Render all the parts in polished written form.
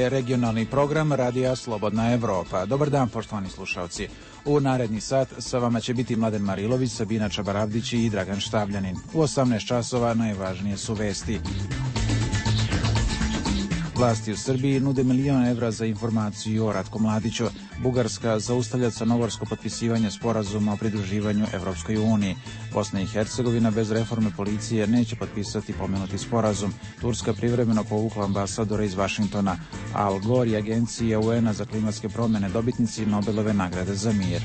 je regionalni program Radija Slobodna Evropa. Dobar dan, poštovani slušalci. U naredni sat sa vama će biti Mladen Marilović, Sabina Čabarabdić i Dragan Štavljanin. U 18 časova najvažnije su vesti. Vlasti u Srbiji nude €1.000.000 za informaciju o Ratku Mladiću. Bugarska zaustavlja crnogorsko potpisivanje sporazuma o pridruživanju Evropskoj uniji. Bosna i Hercegovina bez reforme policije neće potpisati pomenuti sporazum. Turska privremeno povukla ambasadora iz Vašingtona. Al Gore i Agencija UN-a za klimatske promjene dobitnici Nobelove nagrade za mir.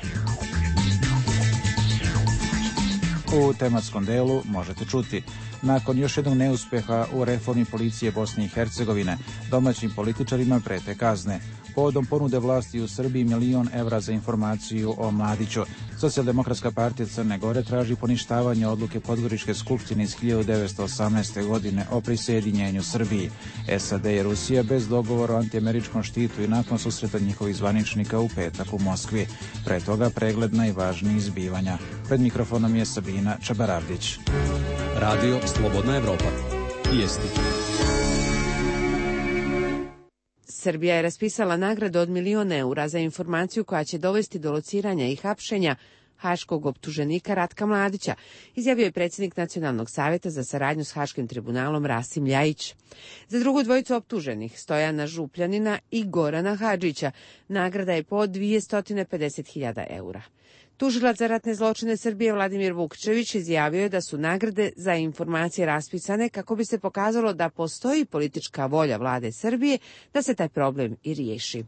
U tematskom delu možete čuti: nakon još jednog neuspeha u reformi policije Bosne i Hercegovine, domaćim političarima prete kazne. Povodom ponude vlasti u Srbiji €1.000.000 za informaciju o Mladiću. Socijaldemokratska partija Crne Gore traži poništavanje odluke Podgoričke skupštine iz 1918. godine o prisjedinjenju Srbiji. SAD i Rusija bez dogovora o antiameričkom štitu i nakon susreta njihovih zvaničnika u petak u Moskvi. Pre toga pregled najvažnijih zbivanja. Pred mikrofonom je Sabina Čabarabdić. Radio Slobodna Evropa. Vijesti. Srbija je raspisala nagradu od €1.000.000 za informaciju koja će dovesti do lociranja i hapšenja haškog optuženika Ratka Mladića, izjavio je predsjednik Nacionalnog savjeta za saradnju s Haškim tribunalom Rasim Ljajić. Za drugu dvojicu optuženih, Stojana Župljanina i Gorana Hadžića, nagrada je po €250.000. Tužilac za ratne zločine Srbije Vladimir Vukčević izjavio je da su nagrade za informacije raspisane kako bi se pokazalo da postoji politička volja vlade Srbije da se taj problem i riješi.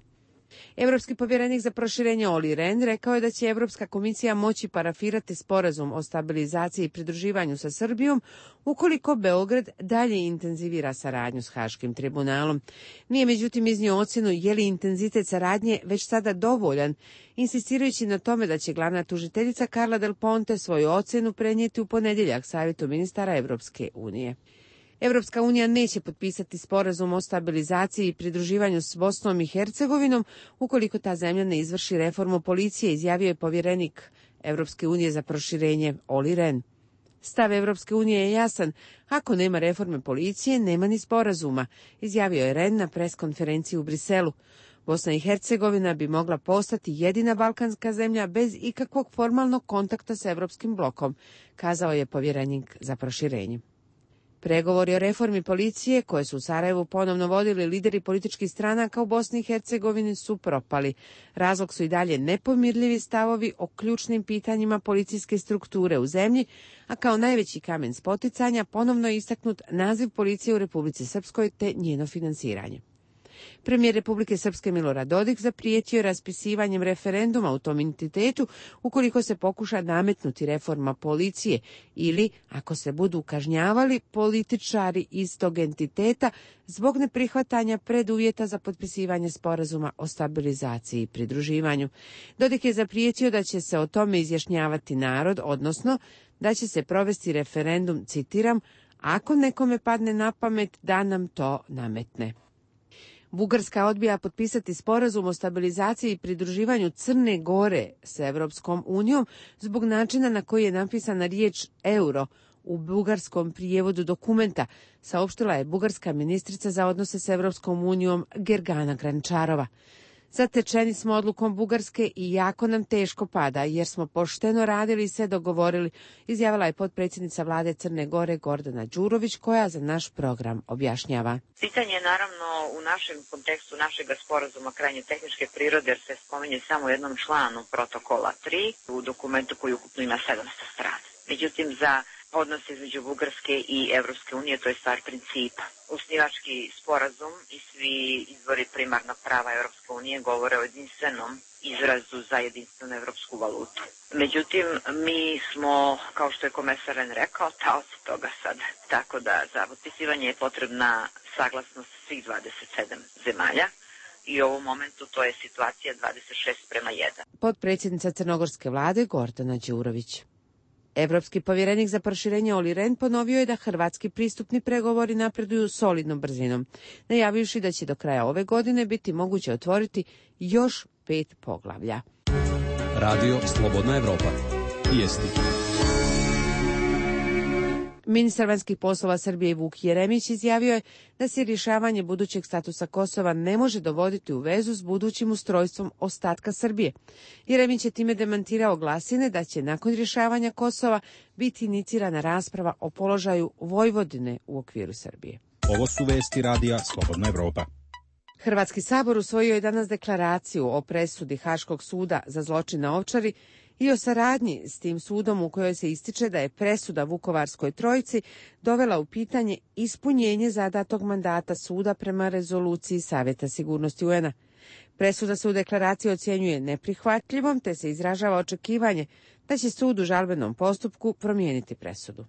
Evropski povjerenik za proširenje Olli Rehn rekao je da će Evropska komisija moći parafirati sporazum o stabilizaciji i pridruživanju sa Srbijom ukoliko Beograd dalje intenzivira saradnju s Haškim tribunalom. Nije međutim iznio ocjenu je li intenzitet saradnje već sada dovoljan, insistirajući na tome da će glavna tužiteljica Carla Del Ponte svoju ocjenu prenijeti u ponedjeljak Savjetu ministara Evropske unije. Evropska unija neće potpisati sporazum o stabilizaciji i pridruživanju s Bosnom i Hercegovinom ukoliko ta zemlja ne izvrši reformu policije, izjavio je povjerenik Evropske unije za proširenje Olli Rehn. Stav Evropske unije je jasan: ako nema reforme policije, nema ni sporazuma, izjavio je Rehn na preskonferenciji u Briselu. Bosna i Hercegovina bi mogla postati jedina balkanska zemlja bez ikakvog formalnog kontakta s Evropskim blokom, kazao je povjerenik za proširenje. Pregovori o reformi policije, koje su u Sarajevu ponovno vodili lideri političkih stranaka u Bosni i Hercegovini, su propali. Razlog su i dalje nepomirljivi stavovi o ključnim pitanjima policijske strukture u zemlji, a kao najveći kamen spoticanja ponovno je istaknut naziv policije u Republici Srpskoj te njeno finansiranje. Premijer Republike Srpske Milorad Dodik zaprijetio je raspisivanjem referenduma u tom entitetu ukoliko se pokuša nametnuti reforma policije ili ako se budu kažnjavali političari iz tog entiteta zbog neprihvatanja preduvjeta za potpisivanje sporazuma o stabilizaciji i pridruživanju. Dodik je zaprijetio da će se o tome izjašnjavati narod, odnosno da će se provesti referendum, citiram, ako nekome padne na pamet da nam to nametne. Bugarska odbija potpisati sporazum o stabilizaciji i pridruživanju Crne Gore s Evropskom unijom zbog načina na koji je napisana riječ euro u bugarskom prijevodu dokumenta, saopštila je bugarska ministrica za odnose s Evropskom unijom Gergana Grančarova. Zatečeni smo odlukom Bugarske i jako nam teško pada, jer smo pošteno radili i sve dogovorili, izjavila je potpredsjednica vlade Crne Gore Gordana Đurović, koja za naš program objašnjava. Pitanje je naravno u našem kontekstu našeg sporazuma krajnje tehničke prirode, jer se spominje samo u jednom članu protokola 3 u dokumentu koji ukupno ima 700 strana. Međutim, za odnos između Bugarske i Evropske unije to je stvar principa. Osnivački sporazum i svi izvori primarnog prava Evropske unije govore o jedinstvenom izrazu za jedinstvenu evropsku valutu. Međutim, mi smo, kao što je komesar Rehn rekao, taoci toga sad. Tako da za potpisivanje je potrebna saglasnost svih 27 zemalja. I u ovom momentu to je situacija 26:1. Potpredsjednica crnogorske vlade Gordana Đurović. Evropski povjerenik za proširenje Olli Rehn ponovio je da hrvatski pristupni pregovori napreduju solidnom brzinom, najavivši da će do kraja ove godine biti moguće otvoriti još 5 poglavlja. Radio Slobodna Evropa. Vijesti. Ministar vanjskih poslova Srbije Vuk Jeremić izjavio je da se rješavanje budućeg statusa Kosova ne može dovoditi u vezu s budućim ustrojstvom ostatka Srbije. Jeremić je time demantirao glasine da će nakon rješavanja Kosova biti inicirana rasprava o položaju Vojvodine u okviru Srbije. Ovo su vesti radija Slobodna Evropa. Hrvatski sabor usvojio je danas deklaraciju o presudi Haškog suda za zločin na Ovčari i o saradnji s tim sudom u kojoj se ističe da je presuda Vukovarskoj trojici dovela u pitanje ispunjenje zadatog mandata suda prema rezoluciji Savjeta sigurnosti UN-a. Presuda se u deklaraciji ocjenjuje neprihvatljivom, te se izražava očekivanje da će sud u žalbenom postupku promijeniti presudu.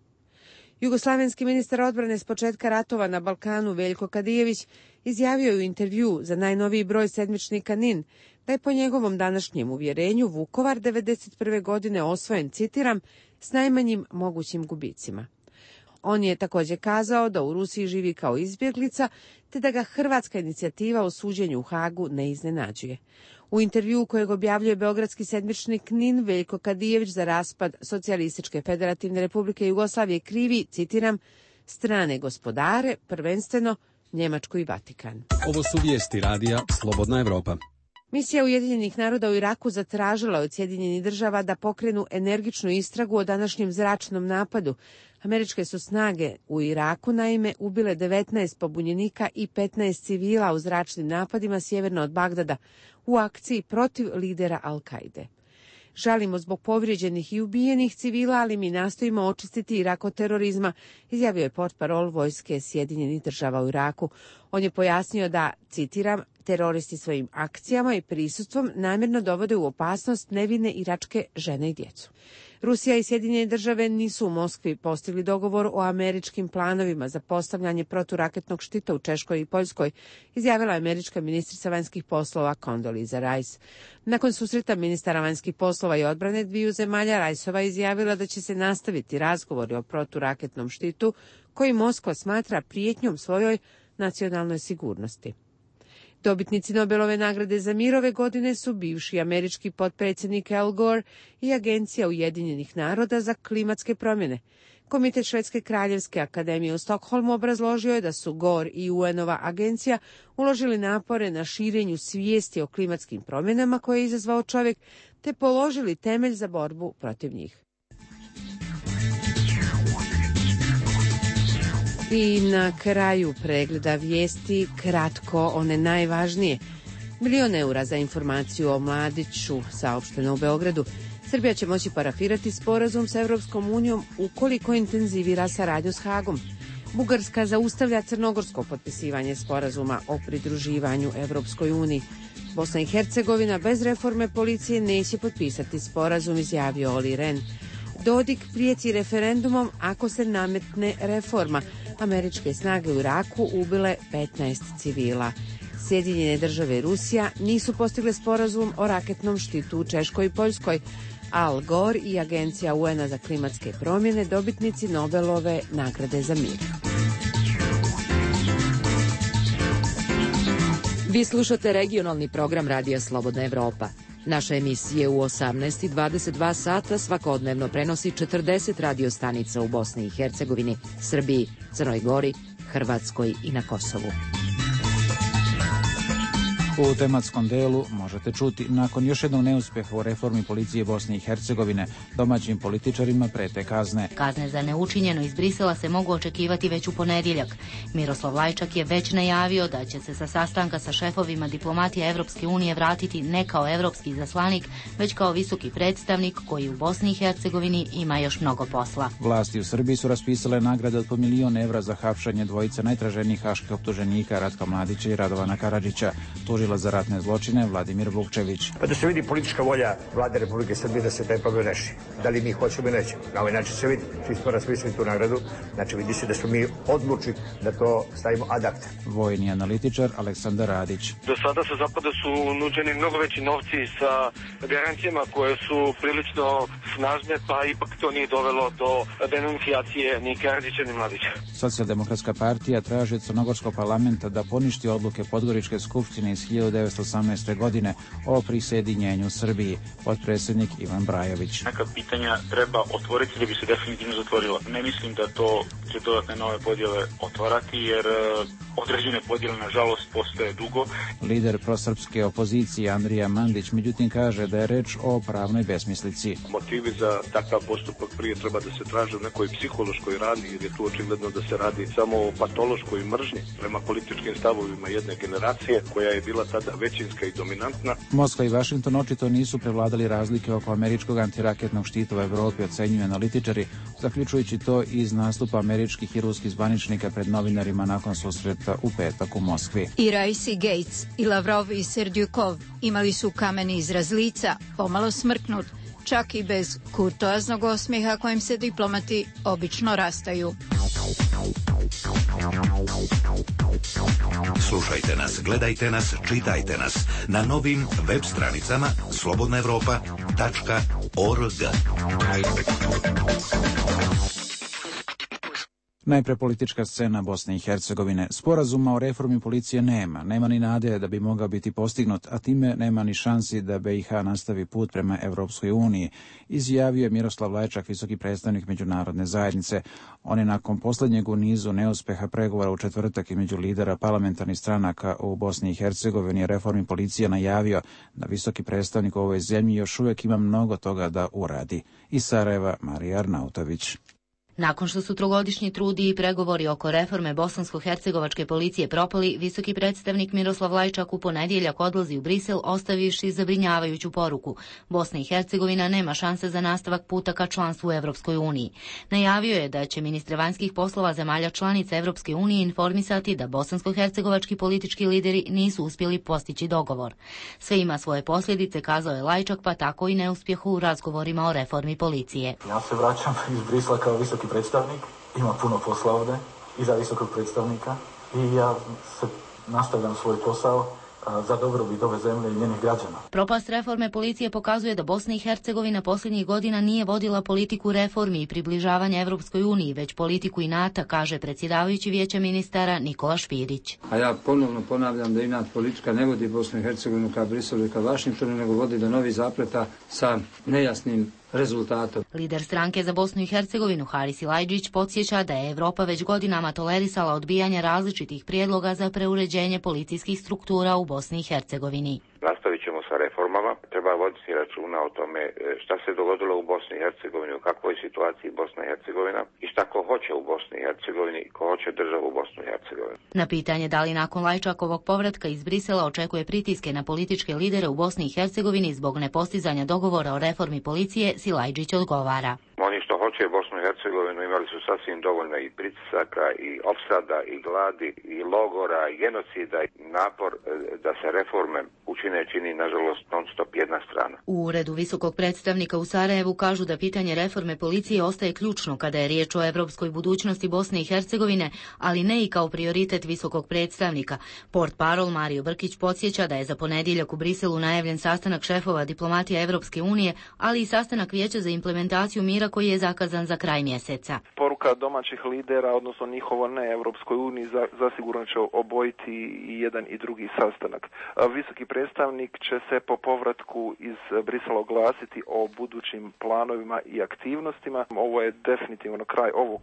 Jugoslavenski ministar odbrane s početka ratova na Balkanu Veljko Kadijević izjavio je u intervju za najnoviji broj sedmičnika NIN da je po njegovom današnjem uvjerenju Vukovar 1991. godine osvojen, citiram, s najmanjim mogućim gubicima. On je također kazao da u Rusiji živi kao izbjeglica, te da ga hrvatska inicijativa o suđenju u Hagu ne iznenađuje. U intervjuu kojeg objavljuje beogradski sedmičnik NIN, Veljko Kadijević za raspad Socijalističke federativne republike Jugoslavije krivi, citiram, strane gospodare, prvenstveno Njemačku i Vatikan. Ovo su vijesti radija Slobodna Evropa. Misija Ujedinjenih naroda u Iraku zatražila od Sjedinjenih država da pokrenu energičnu istragu o današnjem zračnom napadu. Američke su snage u Iraku naime ubile 19 pobunjenika i 15 civila u zračnim napadima sjeverno od Bagdada u akciji protiv lidera Al-Kaide. Žalimo zbog povrijeđenih i ubijenih civila, ali mi nastojimo očistiti Irak od terorizma, izjavio je portparol vojske Sjedinjenih država u Iraku. On je pojasnio da, citiram, teroristi svojim akcijama i prisustvom namjerno dovode u opasnost nevine iračke žene i djecu. Rusija i Sjedinjene države nisu u Moskvi postigli dogovor o američkim planovima za postavljanje proturaketnog štita u Češkoj i Poljskoj, izjavila je američka ministrica vanjskih poslova Condoleezza Rice. Nakon susreta ministara vanjskih poslova i odbrane dviju zemalja, Riceova izjavila da će se nastaviti razgovori o proturaketnom štitu koji Moskva smatra prijetnjom svojoj nacionalnoj sigurnosti. Dobitnici Nobelove nagrade za mir ove godine su bivši američki potpredsjednik Al Gore i Agencija Ujedinjenih naroda za klimatske promjene. Komitet Švedske kraljevske akademije u Stokholmu obrazložio je da su Gore i UN-ova agencija uložili napore na širenju svijesti o klimatskim promjenama koje je izazvao čovjek, te položili temelj za borbu protiv njih. I na kraju pregleda vijesti kratko one najvažnije. 1 milion eura za informaciju o Mladiću, saopšteno u Beogradu. Srbija će moći parafirati sporazum sa Evropskom unijom ukoliko intenzivira saradnju s Hagom. Bugarska zaustavlja crnogorsko potpisivanje sporazuma o pridruživanju Evropskoj uniji. Bosna i Hercegovina bez reforme policije neće potpisati sporazum, izjavio Oli Ren. Dodik prijeti referendumom ako se nametne reforma. Američke snage u Iraku ubile 15 civila. Sjedinjene države i Rusija nisu postigle sporazum o raketnom štitu u Češkoj i Poljskoj. Al Gore i Agencija UN-a za klimatske promjene dobitnici Nobelove nagrade za mir. Vi slušate regionalni program Radija Slobodna Evropa. Naša emisija u 18 i 22 sata svakodnevno prenosi 40 radiostanica u Bosni i Hercegovini, Srbiji, Crnoj Gori, Hrvatskoj i na Kosovu. U tematskom delu možete čuti, nakon još jednog neuspjeha u reformi policije Bosne i Hercegovine, domaćim političarima prete kazne. Kazne za neučinjeno iz Brisela se mogu očekivati već u ponedjeljak. Miroslav Lajčak je već najavio da će se sa sastanka sa šefovima diplomatije Evropske unije vratiti ne kao evropski izaslanik, već kao visoki predstavnik koji u Bosni i Hercegovini ima još mnogo posla. Vlasti u Srbiji su raspisale nagrade od po 1 milion evra za hapšenje dvojice najtraženijih haških optuženika Ratka Mladića i Radovana Karadžića. Tužila za ratne zločine Vladimir Vukčević. Pa da se vidi politička volja Vlade Republike Srbije da se taj problem reši. Da li mi hoćemo ili nećemo. Na ovaj način se vidi. Svi smo raspisali tu nagradu. Znači vidi se da smo mi odlučili da to stavimo ad acta. Vojni analitičar Aleksandar Radić. Do sada sa zapada su nuđeni mnogo veći novci sa garancijama koje su prilično snažne, pa ipak to nije dovelo do denuncijacije ni Karadžića ni Mladića. Socijaldemokratska partija traži od crnogorskog parlamenta da poništi odluke Podgoričke skupštine iz 1918. godine o prisjedinjenju Srbiji, potpredsjednik Ivan Brajović. Neka pitanja treba otvoriti da bi se definitivno zatvorila. Ne mislim da to će dodatne nove podjele otvarati, jer određene podjele, nažalost, postoje dugo. Lider prosrpske opozicije Andrija Mandić, međutim, kaže da je reč o pravnoj besmislici. Motivi za takav postupak prije treba da se traže u nekoj psihološkoj rani, jer je tu očigledno da se radi samo o patološkoj mržnji prema političkim stavovima jedne generacije, koja je bila tada većinska i dominantna. Moskva i Vašington očito nisu prevladali razlike oko američkog antiraketnog štita u Evropi, ocenjuju analitičari, zaključujući to iz nastupa američkih i ruskih zvaničnika pred novinarima nakon susreta u petak u Moskvi. I Raisi Gates, i Lavrov i Serdjukov imali su kameni izraz lica, pomalo smrknut, čak i bez kurtoaznog osmijeha kojim se diplomati obično rastaju. Slušajte nas, gledajte nas, čitajte nas na novim web stranicama slobodnaevropa.org. Najpre politička scena Bosne i Hercegovine. Sporazuma o reformi policije nema ni nade da bi mogao biti postignut, a time nema ni šansi da BiH nastavi put prema Evropskoj uniji, izjavio je Miroslav Lajčak, visoki predstavnik međunarodne zajednice. On je nakon posljednjeg u nizu neuspeha pregovora u četvrtak između lidera parlamentarnih stranaka u Bosni i Hercegovini reformi policije najavio da visoki predstavnik u ovoj zemlji još uvijek ima mnogo toga da uradi. Iz Sarajeva, Marija Arnautović. Nakon što su trogodišnji trudi i pregovori oko reforme bosansko-hercegovačke policije propali, visoki predstavnik Miroslav Lajčak u ponedjeljak odlazi u Brisel ostavivši zabrinjavajuću poruku. Bosna i Hercegovina nema šanse za nastavak puta ka članstvu u Evropskoj uniji. Najavio je da će ministre vanjskih poslova zemalja članica Evropske unije informisati da bosansko-hercegovački politički lideri nisu uspjeli postići dogovor. Sve ima svoje posljedice, kazao je Lajčak, pa tako i neuspjehu u razgovorima o reformi policije. Ja se vraćam iz Brisla kao visoki predstavnik, ima puno posla ovdje i za visokog predstavnika i ja se nastavljam svoj posao za dobrobit ove zemlje i njenih građana. Propast reforme policije pokazuje da Bosna i Hercegovina posljednjih godina nije vodila politiku reformi i približavanja Evropskoj uniji, već politiku inata, kaže predsjedavajući Vijeća ministara Nikola Špirić. A ja ponovno ponavljam da inat politika ne vodi Bosnu i Hercegovinu ka Briselu i ka Vašingtonu, nego vodi do novih zapleta sa nejasnim rezultatom. Lider stranke za Bosnu i Hercegovinu Haris Silajdžić podsjeća da je Evropa već godinama tolerisala odbijanje različitih prijedloga za preuređenje policijskih struktura u Bosni i Hercegovini. Nastavit ćemo sa reformama. Treba voditi računa o tome šta se dogodilo u Bosni i Hercegovini, u kakvoj situaciji Bosna i Hercegovina i šta ko hoće u Bosni i Hercegovini i ko hoće državu u Bosnu i Hercegovini. Na pitanje da li nakon Lajčakovog povratka iz Brisela očekuje pritiske na političke lidere u Bosni i Hercegovini zbog nepostizanja dogovora o reformi policije, Silajdžić odgovara. Oni što hoće Bosnu i Hercegovinu imali su sasvim dovoljno i pritisaka i opsada i gladi i logora i genocida i napor da se reforme učine čini nažalost non stop jedna strana. U uredu visokog predstavnika u Sarajevu kažu da pitanje reforme policije ostaje ključno kada je riječ o evropskoj budućnosti Bosne i Hercegovine, ali ne i kao prioritet visokog predstavnika. Portparol Mario Brkić podsjeća da je za ponedjeljak u Briselu najavljen sastanak šefova diplomatija Evropske unije, ali i sastanak Vijeća za implementaciju mira koji je zakazan za kraj mjeseca. Poruka domaćih lidera, odnosno njihovo ne Evropskoj uniji, zasigurno će obojiti i jedan i drugi sastanak. Visoki predstavnik će se po povratku iz Brisela oglasiti o budućim planovima i aktivnostima. Ovo je definitivno kraj ovog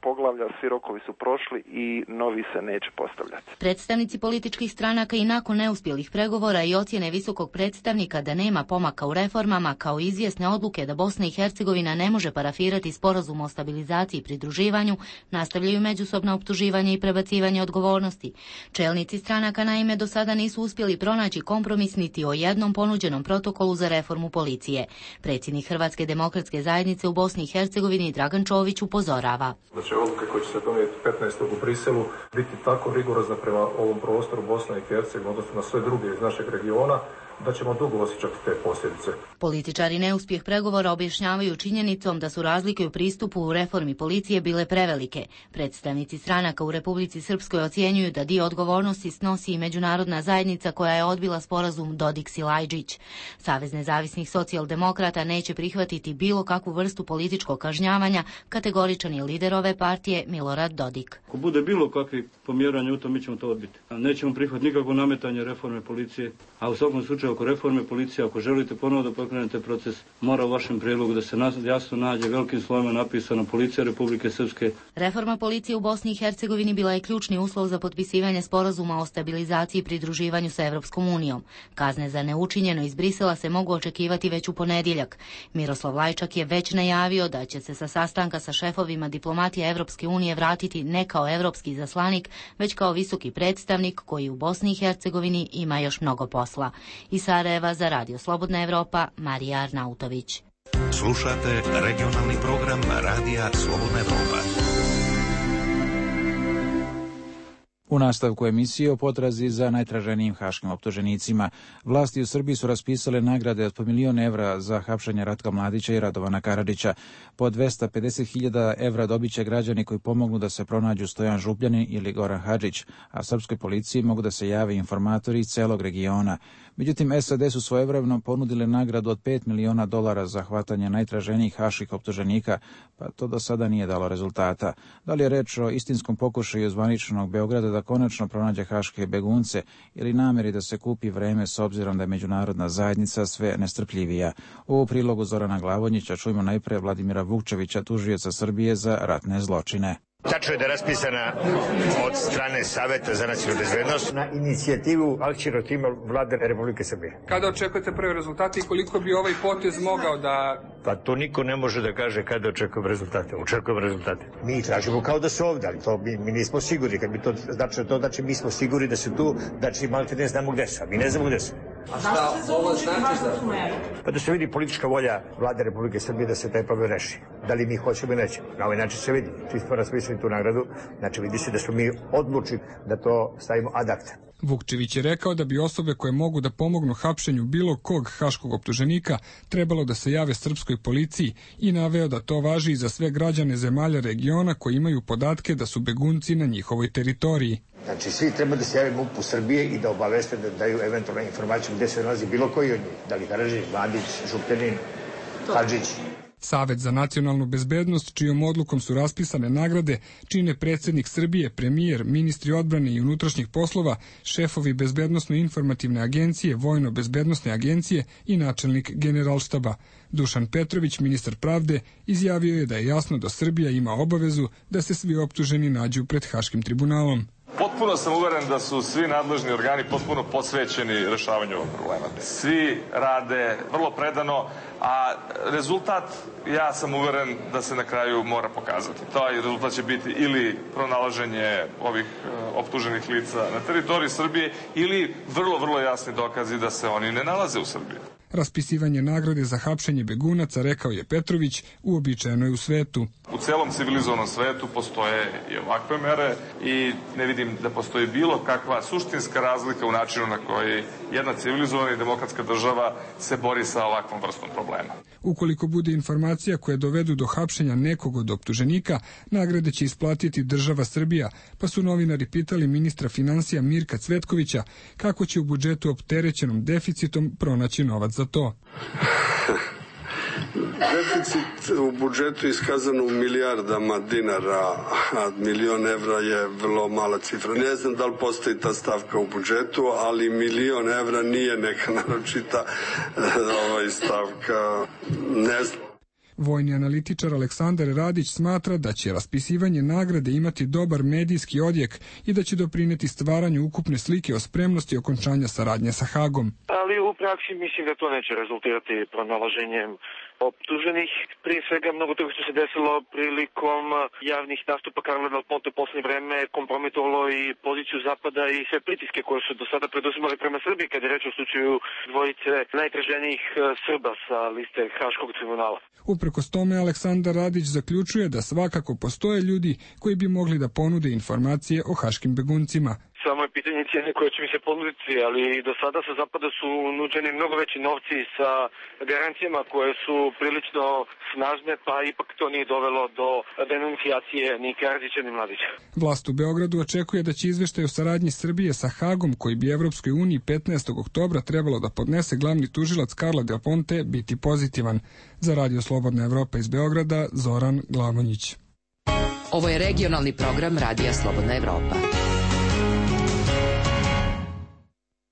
poglavlja, svi rokovi su prošli i novi se neće postavljati. Predstavnici političkih stranaka i nakon neuspjelih pregovora i ocjene visokog predstavnika da nema pomaka u reformama, kao izvjesne odluke da Bosna i Hercegovina ne može parafirati sporazum o stabilizaciji i pridruživanju, nastavljaju međusobno optuživanje i prebacivanje odgovornosti. Čelnici stranaka naime do sada nisu uspjeli pronaći kompromis niti o jednom ponuđenom protokolu za reformu policije. Predsjednik Hrvatske demokratske zajednice u Bosni i Hercegovini Dragan Čović upozorava. Da će odluke koje će se donijeti 15. u Briselu biti tako rigorozne prema ovom prostoru Bosne i Hercegovine, odnosno na sve druge iz našeg regiona, da ćemo dugo osjećati te posljedice. Političari neuspjeh pregovora objašnjavaju činjenicom da su razlike u pristupu u reformi policije bile prevelike. Predstavnici stranaka u Republici Srpskoj ocjenjuju da dio odgovornosti snosi i međunarodna zajednica koja je odbila sporazum Dodik-Silajđić. Savez nezavisnih socijaldemokrata neće prihvatiti bilo kakvu vrstu političkog kažnjavanja, kategoričan je lider ove partije Milorad Dodik. Ako bude bilo kakvi pomjeranja u tom, mi ćemo to odbiti. Nećemo prihvatiti nikakvo nametanje reforme policije, a u svakom slučaju oko reforme policije, ako želite ponovo da pokrenete proces, mora u vašem prijedlogu da se jasno nađe velikim slovima napisano Policija Republike Srpske. Reforma policije u Bosni i Hercegovini bila je ključni uslov za potpisivanje sporazuma o stabilizaciji i pridruživanju sa Evropskom unijom. Kazne za neučinjeno iz Brisela se mogu očekivati već u ponedjeljak. Miroslav Lajčak je već najavio da će se sa sastanka sa šefovima diplomatije Evropske unije vratiti ne kao evropski izaslanik, već kao visoki predstavnik koji u Bosni i Hercegovini ima još mnogo posla. Iz Sarajeva za Radio Slobodna Evropa, Marija Arnautović. Slušate regionalni program Radija Slobodna Evropa. U nastavku emisije o potrazi za najtraženijim haškim optuženicima. Vlasti u Srbiji su raspisale nagrade od po €1.000.000 za hapšenje Ratka Mladića i Radovana Karadžića. Po 250.000 evra dobit će građani koji pomognu da se pronađu Stojan Župljanin ili Goran Hadžić, a srpskoj policiji mogu da se jave informatori iz celog regiona. Međutim, SAD su svojevremeno ponudile nagradu od $5 miliona za hvatanje najtraženijih haških optuženika, pa to do sada nije dalo rezultata. Da li je reč o istinskom pokušaju zvaničnog Beograda da konačno pronađe haške begunce ili nameri da se kupi vreme s obzirom da je međunarodna zajednica sve nestrpljivija? U prilogu Zorana Glavonjića čujemo najpre Vladimira Vukčevića, tužioca Srbije za ratne zločine. Tačno je da je raspisana od strane Saveta za nacionalnu bezbednost na inicijativu akcionog tima Vlade Republike Srbije. Kada očekujete prve rezultate i koliko bi ovaj potez mogao da... Pa to niko ne može da kaže kada očekujemo rezultate. Očekujemo rezultate. Mi tražimo kao da su ovdje, ali to mi nismo sigurni. Kad bi to znači mi smo sigurni da su tu, znači malo te ne znamo gde su, a mi ne znamo gde su. A šta ovo znači za... Pa da se vidi politička volja Vlade Republike Srbije da se taj problem reši. Da li mi hoćemo ili nećemo. Na ovaj način se vidi. Čisto raspisali tu nagradu, znači vidi se da smo mi odlučili da to stavimo ad acta. Vukčević je rekao da bi osobe koje mogu da pomognu hapšenju bilo kog haškog optuženika trebalo da se jave srpskoj policiji i naveo da to važi i za sve građane zemalja regiona koji imaju podatke da su begunci na njihovoj teritoriji. Znači svi treba da se jave MUP-u Srbije i da obaveste da daju eventualnu informaciju gde se nalazi bilo koji od njih. Da li Karadžić, Mladić, Župljanin, Hadžić. Savet za nacionalnu bezbednost, čijom odlukom su raspisane nagrade, čine predsjednik Srbije, premijer, ministri odbrane i unutrašnjih poslova, šefovi bezbednosno-informativne agencije, vojno-bezbednosne agencije i načelnik generalštaba. Dušan Petrović, ministar pravde, izjavio je da je jasno da Srbija ima obavezu da se svi optuženi nađu pred Haškim tribunalom. Potpuno sam uveren da su svi nadležni organi potpuno posvećeni rešavanju ovog problema. Svi rade vrlo predano, a rezultat, ja sam uveren da se na kraju mora pokazati. Taj rezultat će biti ili pronalaženje ovih optuženih lica na teritoriji Srbije ili vrlo jasni dokazi da se oni ne nalaze u Srbiji. Raspisivanje nagrade za hapšenje begunaca, rekao je Petrović, uobičajeno je u svetu. U celom civilizovanom svetu postoje i ovakve mere i ne vidim da postoji bilo kakva suštinska razlika u načinu na koji jedna civilizovana i demokratska država se bori sa ovakvom vrstom problema. Ukoliko bude informacija koje dovedu do hapšenja nekog od optuženika, nagrade će isplatiti država Srbija, pa su novinari pitali ministra finansija Mirka Cvetkovića kako će u budžetu opterećenom deficitom pronaći novac za to. Deficit u budžetu je iskazan u milijardama dinara, a €1.000.000 je vrlo mala cifra. Ne znam da li postoji ta stavka u budžetu, ali €1.000.000 nije neka naročita stavka. Ne znam. Vojni analitičar Aleksandar Radić smatra da će raspisivanje nagrade imati dobar medijski odjek i da će doprineti stvaranju ukupne slike o spremnosti okončanja saradnje sa Hagom. Ali u praksi mislim da to neće rezultirati pronalaženjem optuženih. Prije svega mnogo toga što se desilo prilikom javnih nastupa Karla Del Ponte u poslednje vreme kompromitovalo i poziciju Zapada i sve pritiske koje su do sada preduzimali prema Srbiji kada je reč o slučaju dvojice najtraženijih Srba sa liste Haškog tribunala. Uprkos tome, Aleksandar Radić zaključuje da svakako postoje ljudi koji bi mogli da ponude informacije o haškim beguncima. Samo je pitanje cijene koje će mi se ponuditi, ali do sada sa zapada su nuđeni mnogo veći novci sa garancijama koje su prilično snažne, pa ipak to nije dovelo do denuncijacije ni Karadžića ni Mladića. Vlast u Beogradu očekuje da će izveštaj o saradnji Srbije sa Hagom, koji bi Evropskoj uniji 15. oktobra trebalo da podnese glavni tužilac Karla Del Ponte, biti pozitivan. Za Radio Slobodna Evropa iz Beograda, Zoran Glavonjić. Ovo je regionalni program Radija Slobodna Evropa.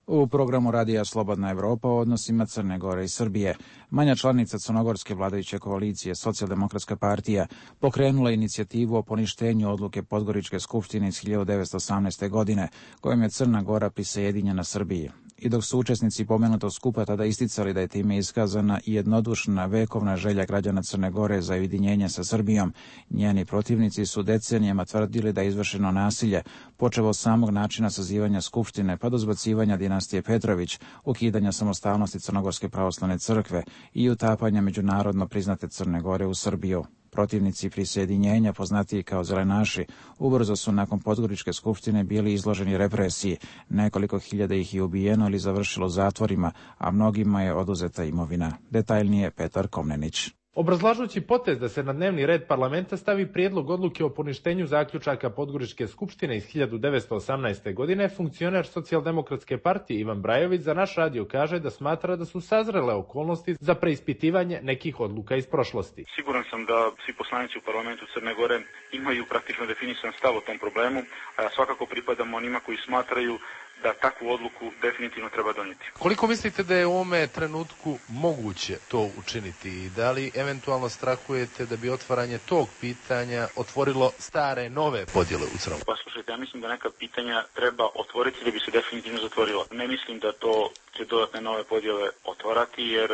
U programu Radija Slobodna Evropa o odnosima Crne Gore i Srbije, manja članica crnogorske vladajuće koalicije Socijaldemokratska partija pokrenula inicijativu o poništenju odluke Podgoričke skupštine iz 1918. godine, kojom je Crna Gora prisajedinjena Srbiji. I dok su učesnici pomenutog skupa tada isticali da je time iskazana i jednodušna vekovna želja građana Crne Gore za ujedinjenje sa Srbijom, njeni protivnici su decenijama tvrdili da je izvršeno nasilje, počevo od samog načina sazivanja skupštine pa do zbacivanja dinastije Petrović, ukidanja samostalnosti Crnogorske pravoslavne crkve i utapanja međunarodno priznate Crne Gore u Srbiju. Protivnici prisjedinjenja, poznatiji kao zelenaši, ubrzo su nakon Podgoričke skupštine bili izloženi represiji. Nekoliko hiljada ih je ubijeno ili završilo zatvorima, a mnogima je oduzeta imovina. Detaljnije Petar Komnenić. Obrazlažući potez da se na dnevni red parlamenta stavi prijedlog odluke o poništenju zaključaka Podgoričke skupštine iz 1918. godine, funkcioner Socijaldemokratske partije Ivan Brajović za naš radio kaže da smatra da su sazrele okolnosti za preispitivanje nekih odluka iz prošlosti. Siguran sam da svi poslanici u parlamentu Crne Gore imaju praktično definisan stav o tom problemu, a ja svakako pripadam onima koji smatraju da takvu odluku definitivno treba donijeti. Koliko mislite da je u ovome trenutku moguće to učiniti i da li eventualno strahujete da bi otvaranje tog pitanja otvorilo stare, nove podjele u Crnoj? Pa slušajte, ja mislim da neka pitanja treba otvoriti da bi se definitivno zatvorila. Ne mislim da to će dodatne nove podjele otvarati, jer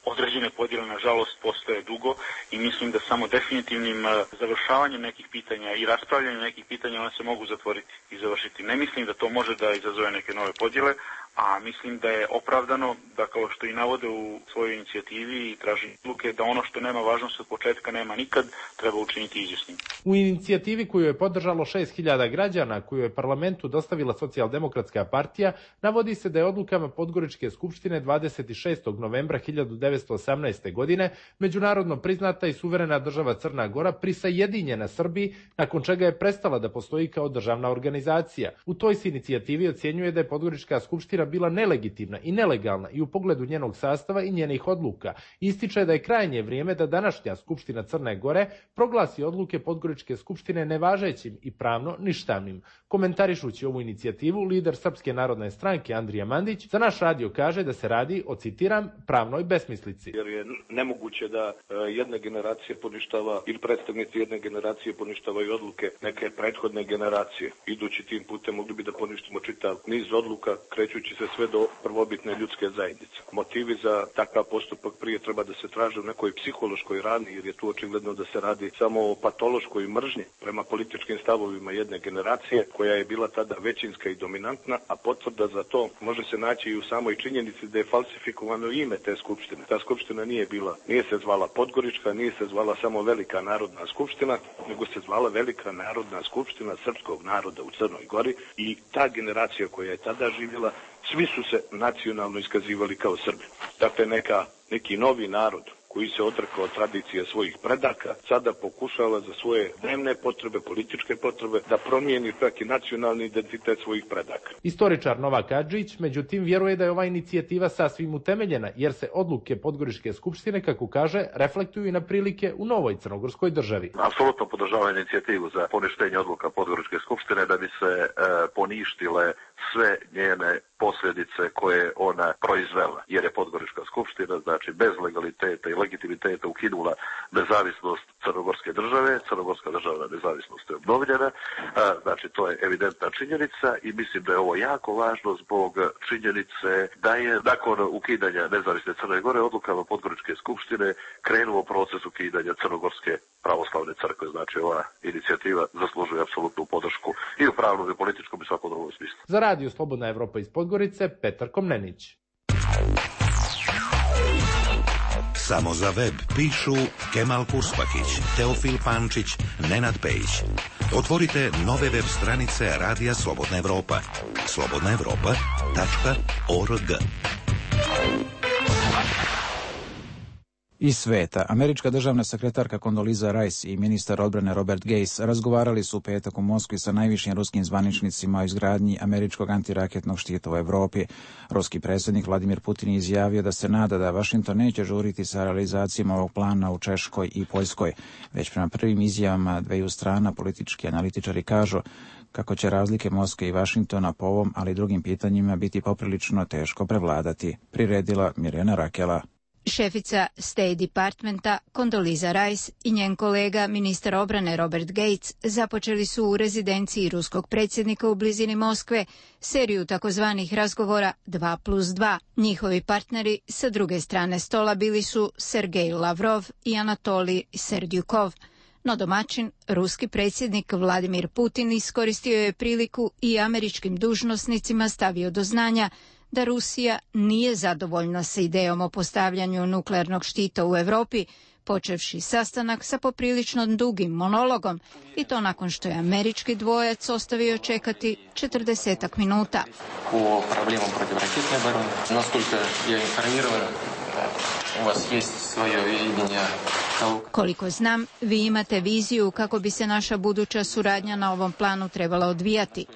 određene podjele, nažalost, postoje dugo i mislim da samo definitivnim završavanjem nekih pitanja i raspravljanjem nekih pitanja one se mogu zatvoriti i završiti. Ne mislim da to može da izazove neke nove podjele, a mislim da je opravdano da, kao što i navode u svojoj inicijativi i traži odluke, da ono što nema važnost od početka nema nikad, treba učiniti izvjesnim. U inicijativi koju je podržalo 6.000 građana, koju je parlamentu dostavila Socijaldemokratska partija, navodi se da je odlukama Podgoričke skupštine 26. novembra 1918. godine međunarodno priznata i suverena država Crna Gora prisajedinjena Srbiji, nakon čega je prestala da postoji kao državna organizacija. U toj se inicijativi ocjenjuje da je Podgorička skupština bila nelegitimna i nelegalna i u pogledu njenog sastava i njenih odluka. Ističe da je krajnje vrijeme da današnja Skupština Crne Gore proglasi odluke Podgoričke skupštine nevažećim i pravno ništavnim. Komentarišući ovu inicijativu, lider Srpske narodne stranke Andrija Mandić za naš radio kaže da se radi o, citiram, pravnoj besmislici. Jer je nemoguće da jedna generacija poništava ili predstavnici jedne generacije poništavaju odluke neke prethodne generacije. Idući tim putem mogli bi da poništimo čitav niz odluka, krećući se sve do prvobitne ljudske zajednice. Motivi za takav postupak prije treba da se traže u nekoj psihološkoj rani, jer je tu očigledno da se radi samo o patološkoj mržnji prema političkim stavovima jedne generacije, koja je bila tada većinska i dominantna, a potvrda za to može se naći i u samoj činjenici da je falsifikovano ime te skupštine. Ta skupština nije se zvala Podgorička, nije se zvala samo Velika narodna skupština, nego se zvala Velika narodna skupština srpskog naroda u Crnoj Gori i ta generacija koja je tada živjela, svi su se nacionalno iskazivali kao Srbi. Dakle, neki novi narod koji se odrekao od tradicije svojih predaka, sada pokušava za svoje dnevne potrebe, političke potrebe, da promijeni čak i nacionalni identitet svojih predaka. Istoričar Novak Adžić, međutim, vjeruje da je ova inicijativa sasvim utemeljena, jer se odluke Podgoričke skupštine, kako kaže, reflektuju i na prilike u novoj crnogorskoj državi. Apsolutno podržava inicijativu za poništenje odluka Podgoričke skupštine da bi se poništile sve njene posljedice koje ona proizvela, jer je Podgorička skupština, znači bez legaliteta i legitimiteta ukinula nezavisnost crnogorske države. Crnogorska državna nezavisnost je obnovljena, znači to je evidentna činjenica i mislim da je ovo jako važno zbog činjenice da je nakon ukidanja nezavisne Crne Gore odlukama Podgoričke skupštine krenuo proces ukidanja Crnogorske pravoslavne crkve. Znači ova inicijativa zaslužuje apsolutnu podršku i u pravnom i političkom i svakom drugom smislu. Za radio Slobodna Evropa iz Podgorice, Petar Komnenić. Samo za web pišu Kemal Kurspakić, Teofil Pančić, Nenad Pejić. Otvorite nove web stranice Radija Slobodna Evropa. slobodnaevropa.org. Iz sveta, američka državna sekretarka Condoleezza Rice i ministar odbrane Robert Gates razgovarali su u petak u Moskvi sa najvišim ruskim zvaničnicima o izgradnji američkog antiraketnog štita u Evropi. Ruski predsjednik Vladimir Putin izjavio da se nada da Vašington neće žuriti sa realizacijom ovog plana u Češkoj i Poljskoj. Već prema prvim izjavama dveju strana politički analitičari kažu kako će razlike Moskve i Vašingtona po ovom, ali i drugim pitanjima biti poprilično teško prevladati, priredila Mirjana Rakela. Šefica State Departmenta Condoleezza Rice i njen kolega ministar obrane Robert Gates započeli su u rezidenciji ruskog predsjednika u blizini Moskve seriju takozvanih razgovora 2+2. Njihovi partneri sa druge strane stola bili su Sergej Lavrov i Anatolij Serdyukov. No domaćin, ruski predsjednik Vladimir Putin iskoristio je priliku i američkim dužnosnicima stavio do znanja da Rusija nije zadovoljna sa idejom o postavljanju nuklearnog štita u Europi, počevši sastanak sa poprilično dugim monologom, i to nakon što je američki dvojac ostavio čekati 40 minuta. Po problemom protivraketne obrane, naskoliko ja informiran, u vas jest svoje viđenje. Koliko znam, vi imate viziju kako bi se naša buduća suradnja na ovom planu trebala odvijati.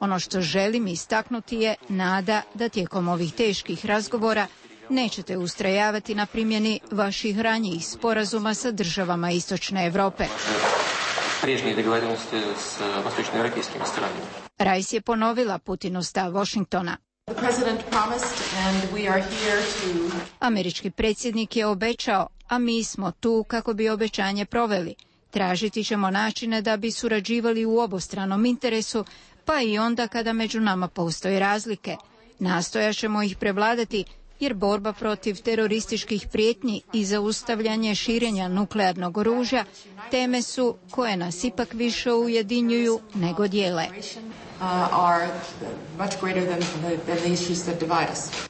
Ono što želim istaknuti je nada da tijekom ovih teških razgovora nećete ustrajavati na primjeni vaših ranijih sporazuma sa državama Istočne Evrope. Rice je ponovila Putinov stav Washingtona. Američki predsjednik je obećao, a mi smo tu kako bi obećanje proveli. Tražiti ćemo načine da bi surađivali u obostranom interesu, pa i onda kada među nama postoje razlike. Nastojat ćemo ih prevladati, jer borba protiv terorističkih prijetnji i zaustavljanje širenja nuklearnog oružja teme su koje nas ipak više ujedinjuju nego dijele.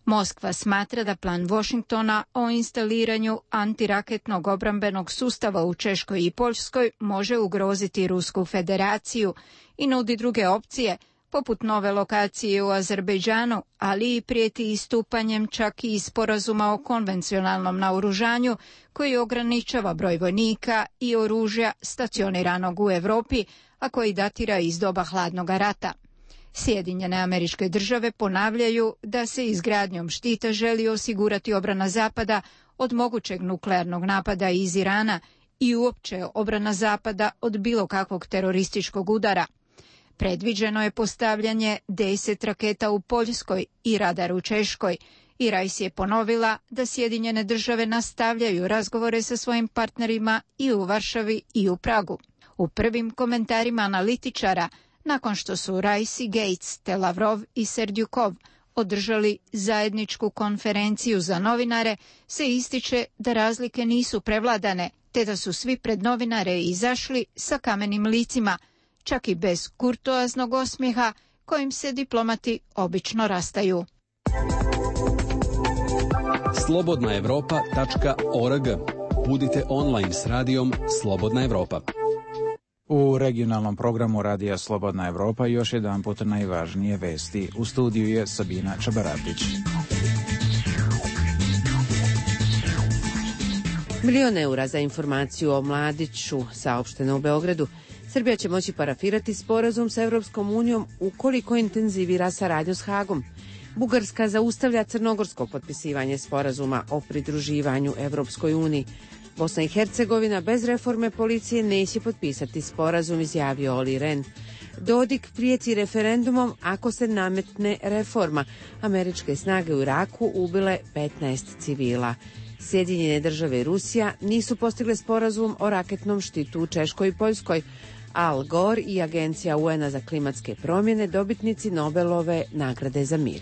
Moskva smatra da plan Washingtona o instaliranju antiraketnog obrambenog sustava u Češkoj i Poljskoj može ugroziti Rusku federaciju i nudi druge opcije, poput nove lokacije u Azerbejdžanu, ali i prijeti istupanjem čak i sporazuma o konvencionalnom naoružanju koji ograničava broj vojnika i oružja stacioniranog u Europi, a koji datira iz doba hladnog rata. Sjedinjene Američke Države ponavljaju da se izgradnjom štita želi osigurati obrana Zapada od mogućeg nuklearnog napada iz Irana i uopće obrana Zapada od bilo kakvog terorističkog udara. Predviđeno je postavljanje 10 raketa u Poljskoj i radar u Češkoj, i Rice je ponovila da Sjedinjene Države nastavljaju razgovore sa svojim partnerima i u Varšavi i u Pragu. U prvim komentarima analitičara, nakon što su Rice i Gates te Lavrov i Serdyukov održali zajedničku konferenciju za novinare, se ističe da razlike nisu prevladane, te da su svi pred novinare izašli sa kamenim licima, čak i bez kurtoaznog osmijeha kojim se diplomati obično rastaju. slobodnaevropa.org. Budite online s radijom Slobodna Evropa. U regionalnom programu Radija Slobodna Evropa još jedan put najvažnije vesti. U studiju je Sabina Čabarapić. Milion eura za informaciju o mladiću saopšteno u Beogradu. Srbija će moći parafirati sporazum sa Evropskom unijom ukoliko intenzivira saradnju s Hagom. Bugarska zaustavlja crnogorsko potpisivanje sporazuma o pridruživanju Evropskoj uniji. Bosna i Hercegovina bez reforme policije neće potpisati sporazum, izjavio Oli Ren. Dodik prijeti referendumom ako se nametne reforma. Američke snage u Iraku ubile 15 civila. Sjedinjene Države i Rusija nisu postigle sporazum o raketnom štitu u Češkoj i Poljskoj. Al Gore i Agencija UN-a za klimatske promjene dobitnici Nobelove nagrade za mir.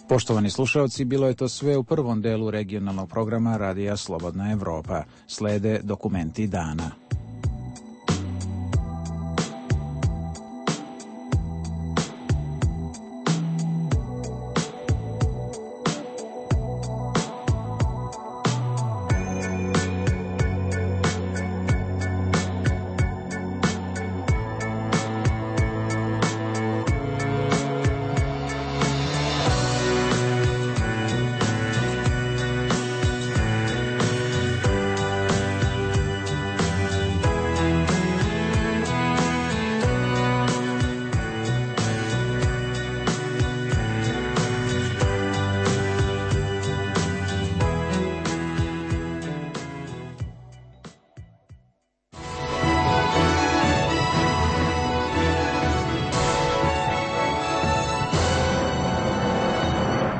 Poštovani slušalci, bilo je to sve u prvom delu regionalnog programa Radija Slobodna Evropa. Slede dokumenti dana.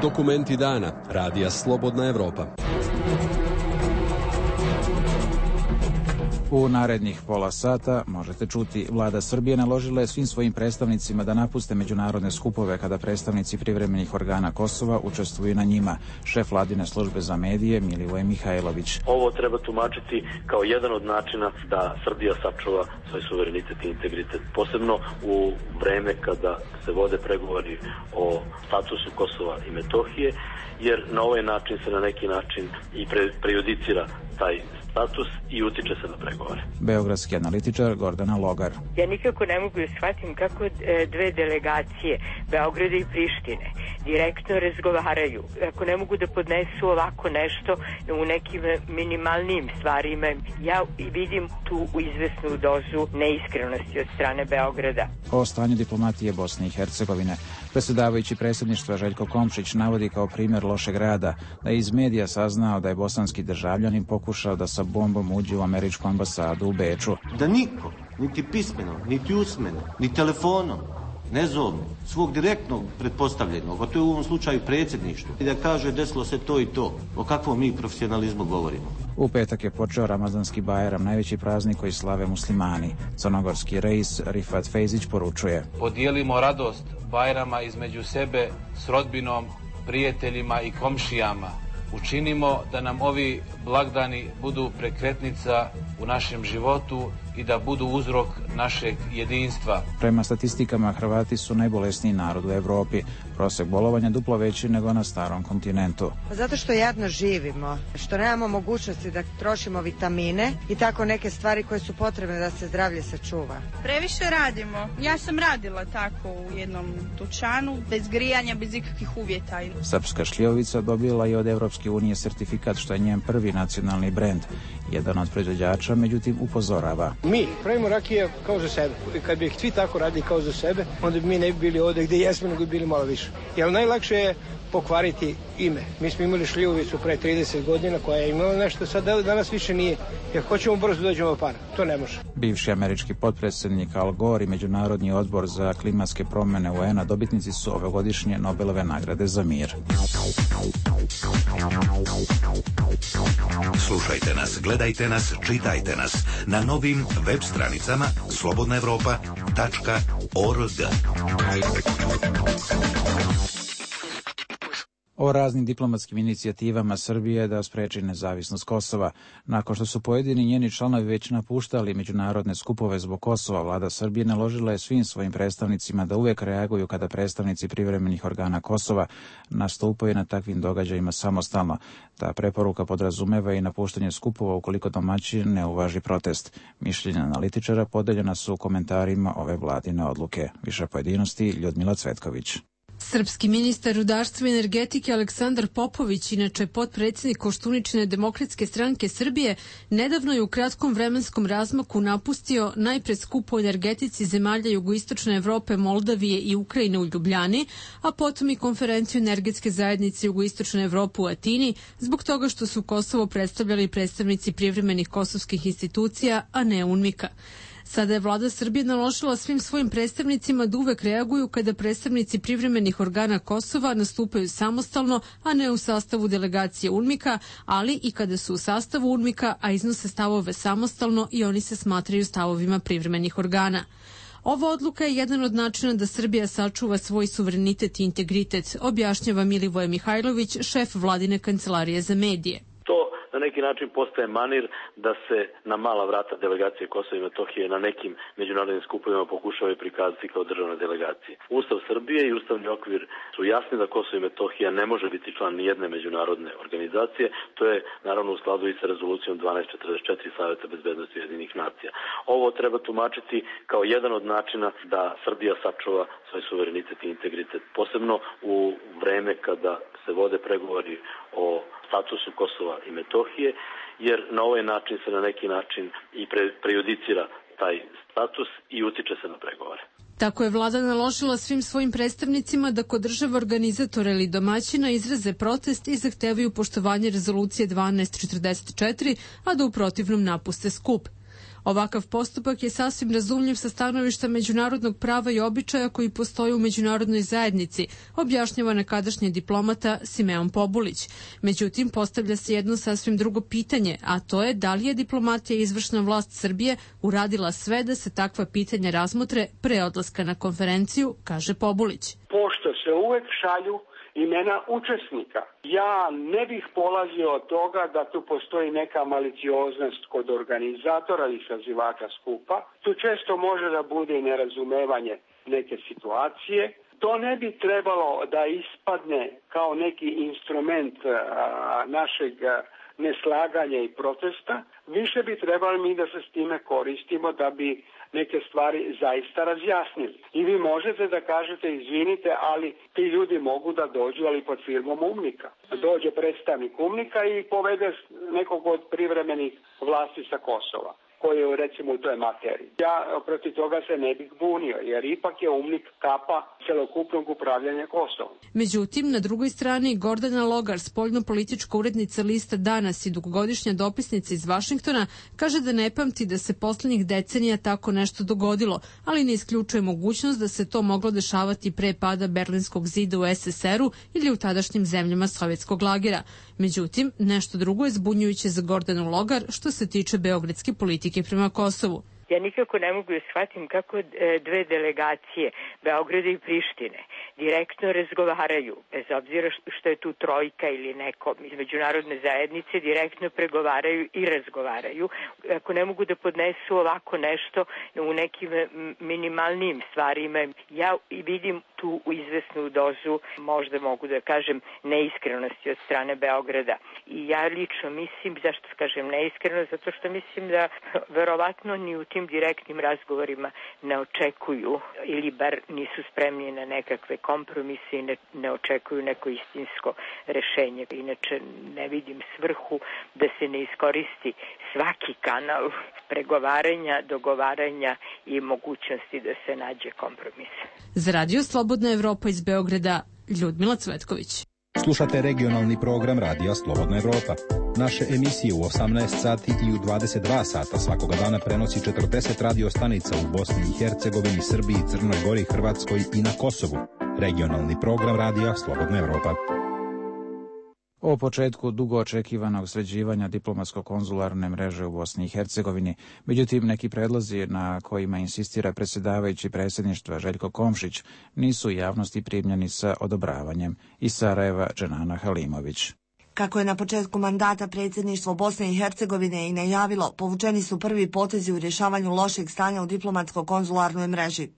Dokumenti dana Radija Slobodna Evropa. U narednih pola sata možete čuti: Vlada Srbije naložila je svim svojim predstavnicima da napuste međunarodne skupove kada predstavnici privremenih organa Kosova učestvuju na njima. Šef vladine službe za medije Milivoje Mihajlović. Ovo treba tumačiti kao jedan od načina da Srbija sačuva svoj suverenitet i integritet, posebno u vreme kada se vode pregovori o statusu Kosova i Metohije, jer na ovaj način se na neki način i prejudicira taj status i utiče se na pregovore. Beogradski analitičar Gordana Logar. Ja nikako ne mogu da shvatim kako dve delegacije, Beograda i Prištine, direktno razgovaraju. Ako ne mogu da podnesu ovako nešto u nekim minimalnim stvarima, ja vidim tu izvesnu dozu neiskrenosti od strane Beograda. O stanju diplomatije Bosne i Hercegovine. Predsjedavajući predsjedništva Željko Komšić navodi kao primjer lošeg rada da je iz medija saznao da je bosanski državljanin pokušao da sa bombom uđe u američku ambasadu u Beču. Da niko, niti pismeno, niti usmeno, ni telefonom, ne zovno, svog direktnog pretpostavljenog, a to je u ovom slučaju predsjedništvo, i da kaže desilo se to i to. O kakvom mi profesionalizmu govorimo? U petak je počeo Ramazanski Bajram, najveći praznik koji slave muslimani. Crnogorski reis Rifat Fejzić poručuje: podijelimo radost Bajrama između sebe s rodbinom, prijateljima i komšijama. Učinimo da nam ovi blagdani budu prekretnica u našem životu i da budu uzrok našeg jedinstva. Prema statistikama, Hrvati su najbolesniji narod u Evropi. Prosek bolovanja duplo veći nego na starom kontinentu. Zato što jadno živimo, što nemamo mogućnosti da trošimo vitamine i tako neke stvari koje su potrebne da se zdravlje sačuva. Previše radimo. Ja sam radila tako u jednom dućanu, bez grijanja, bez ikakvih uvjeta. Srpska šljivovica dobila je od Evropske unije sertifikat, što je njen prvi nacionalni brend. Jedan od proizvođača, međutim, upozorava: mi pravimo rakije kao za sebe. Kad bi svi tako radili kao za sebe, onda bi mi ne bi bili ovdje gdje jesmo, nego bi bili malo više. Jer najlakše je pokvariti ime. Mi smo imali šljivovicu pre 30 godina koja je imala nešto, sad danas više nije. Jer hoćemo brzo dođemo para. To ne može. Bivši američki potpredsjednik Al Gore i Međunarodni odbor za klimatske promjene UN-a dobitnici su ovogodišnje Nobelove nagrade za mir. Slušajte nas, gledajte nas, čitajte nas na novim web stranicama slobodnaevropa.org. O raznim diplomatskim inicijativama Srbije da spreči nezavisnost Kosova. Nakon što su pojedini njeni članovi već napuštali međunarodne skupove zbog Kosova, vlada Srbije naložila je svim svojim predstavnicima da uvek reaguju kada predstavnici privremenih organa Kosova nastupaju na takvim događajima samostalno. Ta preporuka podrazumeva i napuštanje skupova ukoliko domaćin ne uvaži protest. Mišljenja analitičara podeljena su u komentarima ove vladine odluke. Više pojedinosti Ljudmila Cvetković. Srpski ministar rudarstva i energetike Aleksandar Popović, inače potpredsjednik Koštuničine demokratske stranke Srbije, nedavno je u kratkom vremenskom razmaku napustio najpre skup o energetici zemalja jugoistočne Evrope, Moldavije i Ukrajine u Ljubljani, a potom i konferenciju energetske zajednice jugoistočne Evrope u Atini, zbog toga što su Kosovo predstavljali predstavnici privremenih kosovskih institucija, a ne UNMIK-a. Sada je vlada Srbije naložila svim svojim predstavnicima da uvek reaguju kada predstavnici privremenih organa Kosova nastupaju samostalno, a ne u sastavu delegacije UNMIK-a, ali i kada su u sastavu UNMIK-a, a iznose stavove samostalno i oni se smatraju stavovima privremenih organa. Ova odluka je jedan od načina da Srbija sačuva svoj suverenitet i integritet, objašnjava Milivoje Mihajlović, šef vladine kancelarije za medije. Na neki način postaje manir da se na mala vrata delegacije Kosova i Metohije na nekim međunarodnim skupovima pokušavaju prikazati kao državne delegacije. Ustav Srbije i ustavni okvir su jasni da Kosovo i Metohija ne može biti član nijedne međunarodne organizacije. To je naravno u skladu i sa rezolucijom 1244 Saveta bezbednosti Ujedinjenih nacija. Ovo treba tumačiti kao jedan od načina da Srbija sačuva svoj suverenitet i integritet, posebno u vreme kada se vode pregovori o statusu Kosova i Metohije, jer na ovaj način se na neki način i prejudicira taj status i utiče se na pregovore. Tako je vlada naložila svim svojim predstavnicima da kod država organizatora ili domaćina izraze protest i zahtevaju poštovanje rezolucije 1244, a da u protivnom napuste skup. Ovakav postupak je sasvim razumljiv sa stanovišta međunarodnog prava i običaja koji postoje u međunarodnoj zajednici, objašnjava nekadašnji diplomata Simeon Pobulić. Međutim, postavlja se jedno sasvim drugo pitanje, a to je da li je diplomatija i izvršna vlast Srbije uradila sve da se takva pitanja razmotre pre odlaska na konferenciju, kaže Pobulić. Pošto se uvek šalju imena učesnika, ja ne bih polazio od toga da tu postoji neka malicioznost kod organizatora i sazivača skupa. Tu često može da bude i nerazumevanje neke situacije. To ne bi trebalo da ispadne kao neki instrument našeg neslaganja i protesta. Više bi trebali mi da se s time koristimo da bi neke stvari zaista razjasnili. I vi možete da kažete izvinite, ali ti ljudi mogu da dođu, ali pod firmom UMNIK-a. Dođe predstavnik UMNIK-a i povede nekog od privremenih vlasti sa Kosova, koji je recimo u toj materiji. Ja protiv toga se ne bih bunio, jer ipak je UMNIK kapa celokupnog upravljanja Kosovom. Međutim, na drugoj strani Gordana Logar, spoljno-politička urednica lista Danas i dugogodišnja dopisnica iz Vašingtona, kaže da ne pamti da se poslednjih decenija tako nešto dogodilo, ali ne isključuje mogućnost da se to moglo dešavati pre pada Berlinskog zida u SSR-u ili u tadašnjim zemljama sovjetskog lagera. Međutim, nešto drugo je zbunjujuće za Gordanu Logar što se tiče beogradske politike prema Kosovu. Ja nikako ne mogu da shvatim kako dve delegacije, Beograda i Prištine, direktno razgovaraju, bez obzira što je tu trojka ili neko iz međunarodne zajednice, direktno pregovaraju i razgovaraju. Ako ne mogu da podnesu ovako nešto u nekim minimalnim stvarima, ja vidim tu izvesnu dozu, možda mogu da kažem, neiskrenosti od strane Beograda. I ja lično mislim, zašto kažem neiskreno, zato što mislim da verovatno ni u tim direktnim razgovorima ne očekuju ili bar nisu spremni na nekakve kompromise i ne očekuju neko istinsko rešenje. Inače ne vidim svrhu da se ne iskoristi svaki kanal pregovaranja, dogovaranja i mogućnosti da se nađe kompromis. Za Radio Slobodna Evropa iz Beograda, Ljudmila Cvetković. Slušate regionalni program Radija Slobodna Evropa. Naše emisije u 18 sati i u 22 sata svakoga dana prenosi 40 radio stanica u Bosni i Hercegovini, Srbiji, Crnoj Gori, Hrvatskoj i na Kosovu. Regionalni program Radija Slobodna Evropa. O početku dugo očekivanog sređivanja diplomatsko-konzularne mreže u Bosni i Hercegovini, međutim neki predlozi na kojima insistira predsjedavajući predsjedništva Željko Komšić nisu javnosti primljeni sa odobravanjem. Iz Sarajeva, Dženana Halimović. Kako je na početku mandata predsjedništvo Bosne i Hercegovine i najavilo, povučeni su prvi potezi u rješavanju lošeg stanja u diplomatsko-konzularnoj mreži.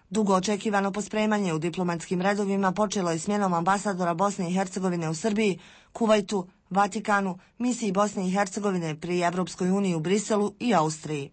Dugo očekivano pospremanje u diplomatskim redovima počelo je smjenom ambasadora Bosne i Hercegovine u Srbiji, Kuvajtu, Vatikanu, misiji Bosne i Hercegovine pri Evropskoj uniji u Briselu i Austriji.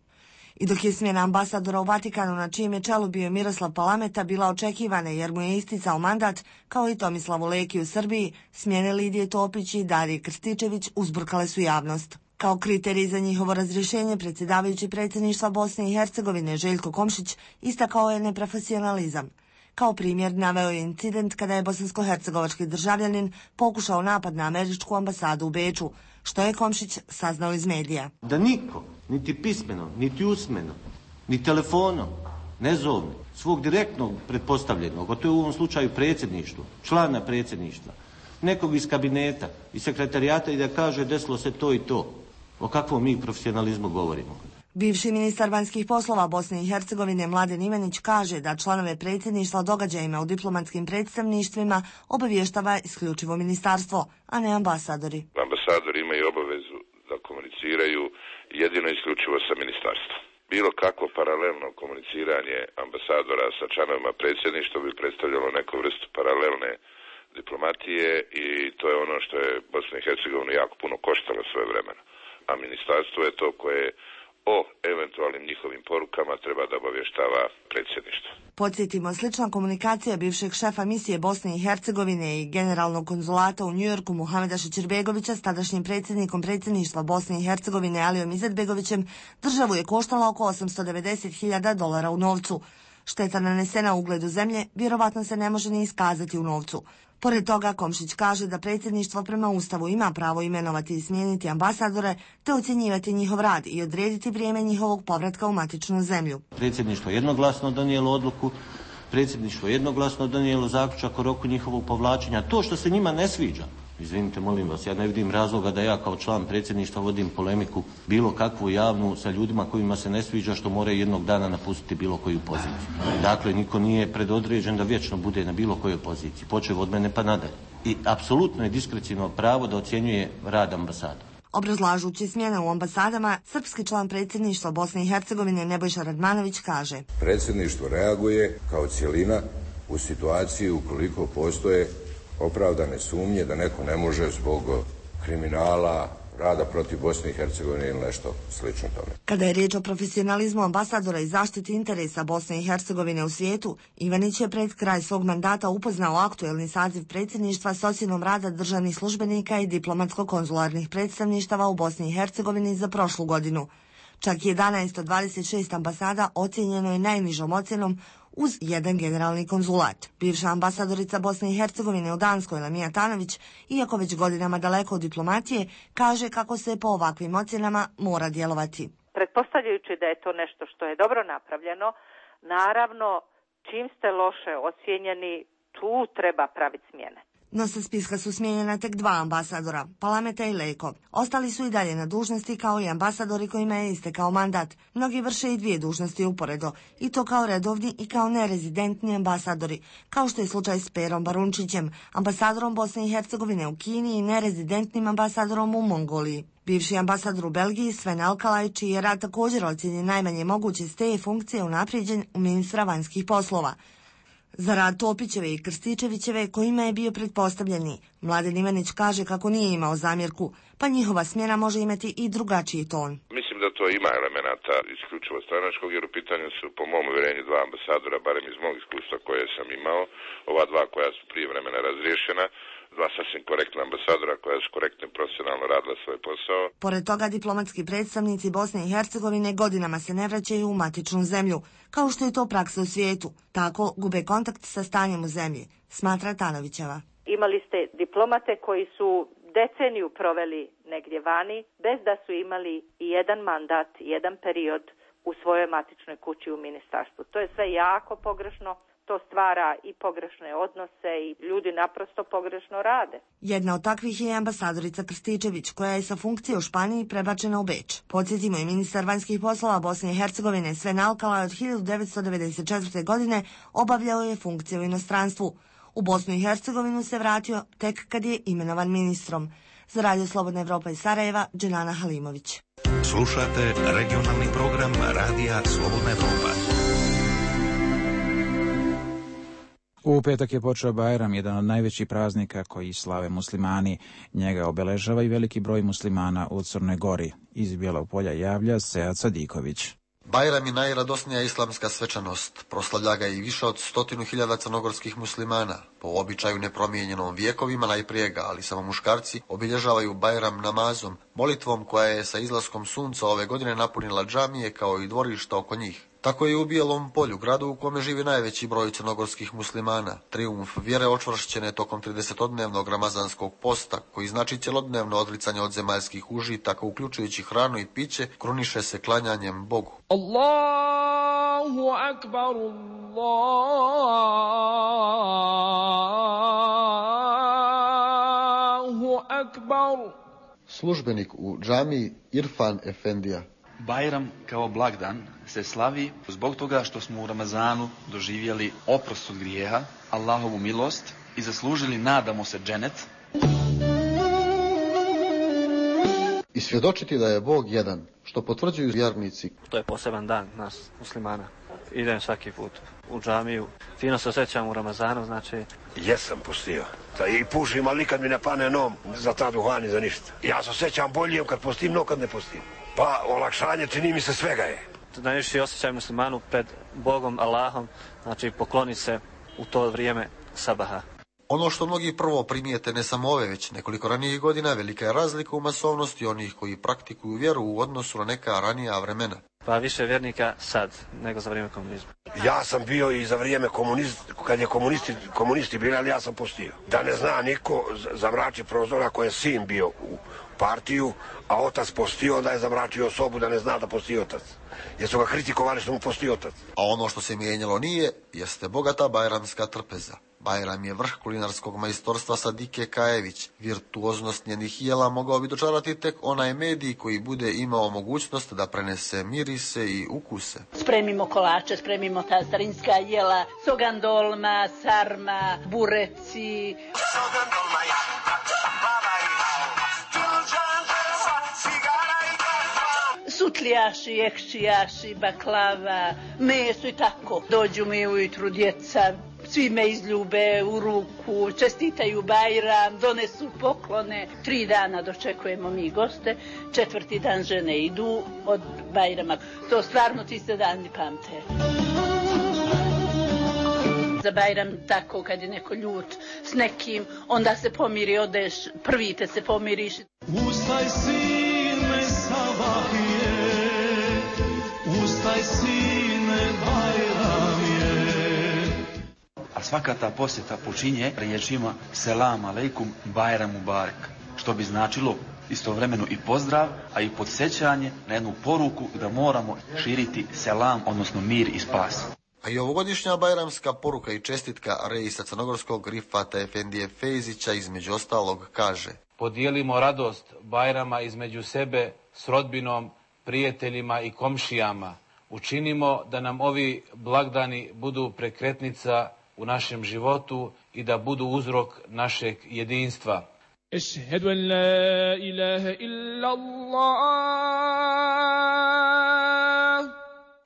I dok je smjena ambasadora u Vatikanu, na čijem je čelu bio Miroslav Palameta, bila očekivana jer mu je isticao mandat, kao i Tomislavu Leki u Srbiji, smjene Lidije Topić i Darije Krstičević uzburkale su javnost. Kao kriterij za njihovo razrješenje, predsjedavajući predsjedništva Bosne i Hercegovine Željko Komšić istakao je neprofesionalizam. Kao primjer naveo je incident kada je bosansko-hercegovački državljanin pokušao napad na američku ambasadu u Beču, što je Komšić saznao iz medija. Da niko, niti pismeno, niti usmeno, ni telefonom, ne zovne svog direktnog pretpostavljenog, a to je u ovom slučaju predsjedništvo, člana predsjedništva, nekog iz kabineta i sekretarijata i da kaže desilo se to i to. O kakvom mi profesionalizmu govorimo? Bivši ministar vanjskih poslova Bosne i Hercegovine Mladen Ivanić kaže da članove predsjedništva o događajima u diplomatskim predstavništvima obavještava isključivo ministarstvo, a ne ambasadori. Ambasadori imaju obavezu da komuniciraju jedino isključivo sa ministarstvom. Bilo kakvo paralelno komuniciranje ambasadora sa članovima predsjedništva bi predstavljalo neku vrstu paralelne diplomatije i to je ono što je Bosna i Hercegovina jako puno koštalo svoje vremena. A ministarstvo je to koje o eventualnim njihovim porukama treba da obavještava predsjedništvo. Podsjetimo, slična komunikacija bivšeg šefa misije Bosne i Hercegovine i generalnog konzulata u Njujorku Muhameda Šećerbegovića s tadašnjim predsjednikom predsjedništva Bosne i Hercegovine Alijom Izetbegovićem državu je koštala oko $890.000 u novcu. Šteta nanesena ugledu zemlje vjerovatno se ne može ni iskazati u novcu. Pored toga, Komšić kaže da predsjedništvo prema Ustavu ima pravo imenovati i smijeniti ambasadore te ocjenjivati njihov rad i odrediti vrijeme njihovog povratka u matičnu zemlju. Predsjedništvo jednoglasno donijelo odluku, predsjedništvo jednoglasno donijelo zaključak o roku njihovog povlačenja. To što se njima ne sviđa, izvinite, molim vas, ja ne vidim razloga da ja kao član predsjedništva vodim polemiku bilo kakvu javnu sa ljudima kojima se ne sviđa što moraju jednog dana napustiti bilo koju poziciju. Dakle, niko nije predodređen da vječno bude na bilo kojoj poziciji, počev od mene pa nadalje. I apsolutno je diskreciono pravo da ocjenjuje rad ambasada. Obrazlažući smjene u ambasadama, srpski član predsjedništva Bosne i Hercegovine Nebojša Radmanović kaže: Predsjedništvo reaguje kao cjelina u situaciji ukoliko postoje opravdane sumnje da neko ne može zbog kriminala, rada protiv Bosne i Hercegovine ili nešto slično tome. Kada je riječ o profesionalizmu ambasadora i zaštiti interesa Bosne i Hercegovine u svijetu, Ivanić je pred kraj svog mandata upoznao aktuelni saziv predsjedništva s ocjenom rada državnih službenika i diplomatsko-konzularnih predstavništava u Bosni i Hercegovini za prošlu godinu. Čak 11 od 26 ambasada ocjenjeno je najnižom ocjenom uz jedan generalni konzulat. Bivša ambasadorica Bosne i Hercegovine u Danskoj Lamija Tanović, iako već godinama daleko od diplomatije, kaže kako se po ovakvim ocjenama mora djelovati. Pretpostavljajući da je to nešto što je dobro napravljeno, naravno čim ste loše ocjenjeni, tu treba praviti smjene. No sa spiska su smijenjena tek 2 ambasadora, Palameta i Lejko. Ostali su i dalje na dužnosti kao i ambasadori kojima je istekao mandat. Mnogi vrše i 2 dužnosti uporedo, i to kao redovni i kao nerezidentni ambasadori, kao što je slučaj s Perom Barunčićem, ambasadorom Bosne i Hercegovine u Kini i nerezidentnim ambasadorom u Mongoliji. Bivši ambasador u Belgiji Sven Alkalaj, čiji je rad također ocjenjen najmanje moguće s te funkcije unaprijeđen u ministra vanjskih poslova. Za rad Topićeve i Krstičevićeve, kojima je bio pretpostavljeni, Mladen Ivanić kaže kako nije imao zamjerku, pa njihova smjena može imati i drugačiji ton. Mislim da to ima elemenata isključivo stranačkog, jer u pitanju su po mom uvjerenju 2 ambasadora, barem iz mog iskustva koje sam imao, ova 2 koja su prije vremena razriješena, 2 sasvim korektna ambasadora koja su korektno i profesionalno radila svoj posao. Pored toga, diplomatski predstavnici Bosne i Hercegovine godinama se ne vraćaju u matičnu zemlju, kao što je to praksa u svijetu. Tako gube kontakt sa stanjem u zemlji, smatra Tanovićeva. Imali ste diplomate koji su deceniju proveli negdje vani, bez da su imali i jedan mandat, jedan period u svojoj matičnoj kući u ministarstvu. To je sve jako pogrešno. To stvara i pogrešne odnose i ljudi naprosto pogrešno rade. Jedna od takvih je ambasadorica Krstičević, koja je sa funkcije u Španiji prebačena u Beč. Podsjetimo, i ministar vanjskih poslova Bosne i Hercegovine Sven Alkalaj od 1994. godine obavljao je funkcije u inostranstvu. U Bosnu i Hercegovinu se vratio tek kad je imenovan ministrom. Za Radio Slobodna Evropa iz Sarajeva, Dženana Halimović. Slušate regionalni program Radija Slobodna Evropa. U petak je počeo Bajram, jedan od najvećih praznika koji slave muslimani. Njega obeležava i veliki broj muslimana u Crnoj Gori. Iz Bijelog Polja javlja Sead Sadiković. Bajram je najradosnija islamska svečanost. Proslavlja ga i više od 100.000 crnogorskih muslimana. Po običaju nepromijenjenom vjekovima najprije ga, ali samo muškarci, obilježavaju Bajram namazom, molitvom koja je sa izlaskom sunca ove godine napunila džamije kao i dvorišta oko njih. Tako je u Bijelom Polju, gradu u kome živi najveći broj crnogorskih muslimana. Trijumf vjere očvršćene tokom 30-dnevnog ramazanskog posta, koji znači cjelodnevno odricanje od zemaljskih užitaka, uključujući hranu i piće, kruniše se klanjanjem Bogu. Allahu akbar, Allahu akbar. Službenik u džamiji Irfan Efendija. Bajram kao blagdan se slavi zbog toga što smo u Ramazanu doživjeli oprost od grijeha, Allahovu milost i zaslužili, nadamo se, dženet. I svjedočiti da je Bog jedan, što potvrđuju vjernici. To je poseban dan nas muslimana. Idem svaki put u džamiju. Fino se osjećam u Ramazanu, znači... Jesam postio. Da i pušim, ali nikad mi ne pane nom za ta duhani, za ništa. Ja se osjećam bolje kad postim, no kad ne postim. Pa olakšanje čini mi se svega je. Najviše osjećaj muslimanu pred Bogom, Allahom, znači pokloni se u to vrijeme sabaha. Ono što mnogi prvo primijete ne samo ove, već nekoliko ranijih godina, velika je razlika u masovnosti onih koji praktikuju vjeru u odnosu na neka ranija vremena. Pa više vjernika sad nego za vrijeme komunizma. Ja sam bio i za vrijeme kad je komunisti bili, ali ja sam postio. Da ne zna niko zamrači prozor ako je sin bio u partiju, a otac postio, onda je zamračio sobu da ne zna da posti otac. Jer su ga kritikovali što mu posti otac. A ono što se mijenjalo nije, jeste bogata bajramska trpeza. Bajram je vrh kulinarskog majstorstva Sadike Kajević. Virtuoznost njenih jela mogao bi dočarati tek onaj medij koji bude imao mogućnost da prenese mirise i ukuse. Spremimo kolače, spremimo ta starinska jela, sogandolma, sarma, bureci. Sogandolma je sutljaši, ekšijaši, baklava, meso i tako. Dođu mi ujutru djeca, svi me izljube u ruku, čestitaju Bajram, donesu poklone. 3 dana dočekujemo mi goste, 4. dan žene idu od Bajrama. To stvarno ti se dani pamte. Za Bajram tako kad je neko ljut s nekim, onda se pomiri, odeš, prvi te se pomiriš. Ustaj sine sabahije, ustaj sine Bajram je. A svaka ta posjeta počinje riječima selam aleikum Bajram mubarek, što bi značilo istovremeno i pozdrav, a i podsjećanje na jednu poruku da moramo širiti selam, odnosno mir i spas. A i ovogodišnja bajramska poruka i čestitka reisa crnogorskog Rifata Efendije Fejzića između ostalog kaže: podijelimo radost Bajrama između sebe s rodbinom, prijateljima i komšijama. Učinimo da nam ovi blagdani budu prekretnica u našem životu i da budu uzrok našeg jedinstva. Ešhedu en la ilaha illallah.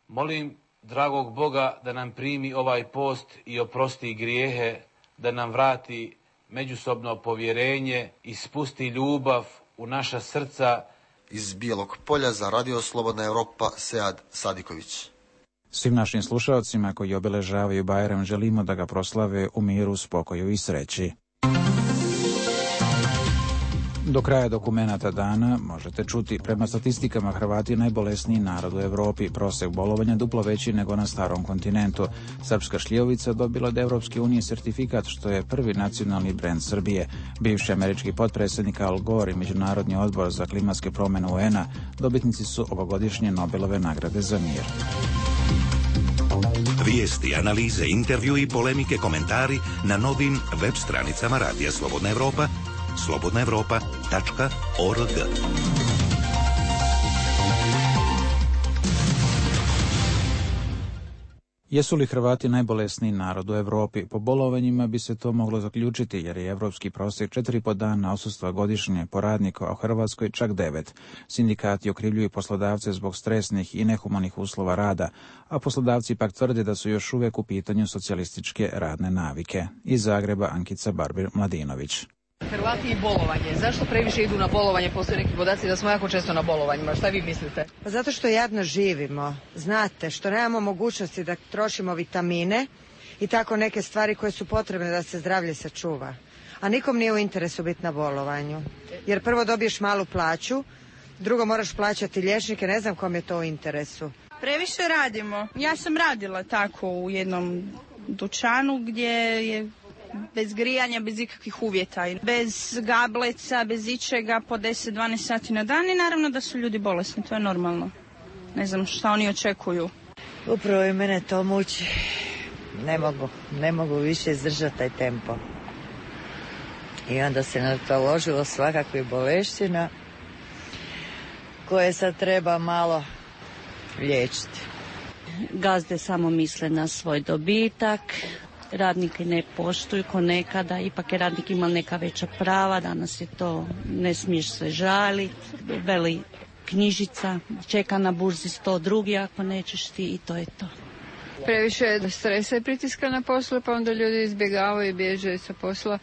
Molim dragog Boga da nam primi ovaj post i oprosti grijehe, da nam vrati međusobno povjerenje i spusti ljubav u naša srca. Iz Bijelog Polja za Radio Slobodna Europa, Sead Sadiković. Svim našim slušalcima koji obeležavaju Bajram želimo da ga proslave u miru, spokoju i sreći. Do kraja dokumenata dana možete čuti: prema statistikama Hrvati najbolesniji narod u Europi, prosek bolovanja duplo veći nego na starom kontinentu. Srpska šljivovica dobila od Evropske unije sertifikat što je prvi nacionalni brend Srbije. Bivši američki potpredsjednik Al Gore i Međunarodni odbor za klimatske promjene UN-a dobitnici su ovogodišnje Nobelove nagrade za mir. Vijesti, analize, intervju i polemike, komentari na novim web stranicama Radija Slobodna Europa, slobodnaevropa.org. Jesu li Hrvati najbolesniji narod u Europi? Po bolovanjima bi se to moglo zaključiti, jer je evropski prosjek 4,5 dana odsustva godišnje po radniku, a u Hrvatskoj čak 9. Sindikati okrivljuju poslodavce zbog stresnih i nehumanih uslova rada, a poslodavci pak tvrde da su još uvijek u pitanju socijalističke radne navike. Iz Zagreba Ankica Barbir-Mladinović. Hrvati i bolovanje. Zašto previše idu na bolovanje? Postoje neki podaci da smo jako često na bolovanjima. Šta vi mislite? Pa zato što jadno živimo. Znate, što nemamo mogućnosti da trošimo vitamine i tako neke stvari koje su potrebne da se zdravlje sačuva. A nikom nije u interesu biti na bolovanju. Jer prvo dobiješ malu plaću, drugo moraš plaćati liječnike, ne znam kom je to u interesu. Previše radimo. Ja sam radila tako u jednom dućanu gdje je bez grijanja, bez ikakvih uvjeta, bez gableca, bez ičega, po 10-12 sati na dan i naravno da su ljudi bolesni, to je normalno. Ne znam šta oni očekuju. Upravo i mene to muči. Ne mogu više izdržati taj tempo. I onda se nataložilo svakakvih boleština koje sad treba malo liječiti. Gazde samo misle na svoj dobitak, radnike ne poštuju ko nekada, ipak je radnik imao neka veća prava, danas je to, ne smiješ se žaliti, veli knjižica, čeka na burzi 100 drugi ako nećeš ti i to je to. Previše je stresa i pritiska na poslu, pa onda ljudi izbjegavaju i bježe sa posla,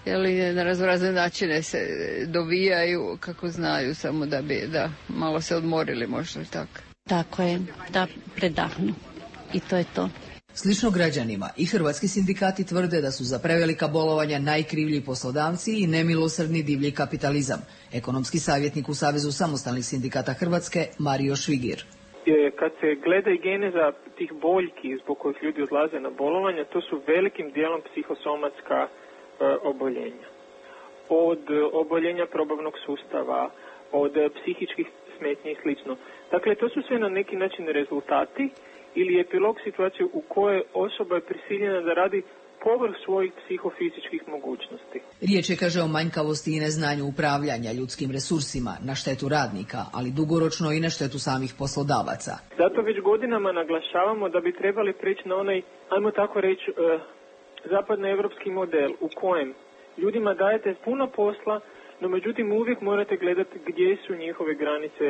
jer na razne načine se dovijaju kako znaju, samo da bi malo se odmorili možda tako. Tako je, da predahnu i to je to. Slično građanima i hrvatski sindikati tvrde da su za prevelika bolovanja najkrivlji poslodavci i nemilosrdni divlji kapitalizam. Ekonomski savjetnik u Savezu samostalnih sindikata Hrvatske Mario Švigir. kad se gleda i geneza tih boljki zbog kojih ljudi odlaze na bolovanja, to su velikim dijelom psihosomatska oboljenja. Od oboljenja probavnog sustava, od psihičkih smetnji i slično. Dakle, to su sve na neki način rezultati ili epilog situacije u kojoj osoba je prisiljena da radi povrh svojih psihofizičkih mogućnosti. Riječ je, kaže, o manjkavosti i neznanju upravljanja ljudskim resursima na štetu radnika, ali dugoročno i na štetu samih poslodavaca. Zato već godinama naglašavamo da bi trebali preći na onaj, ajmo tako reći, zapadnoevropski model u kojem ljudima dajete puno posla, no međutim uvijek morate gledati gdje su njihove granice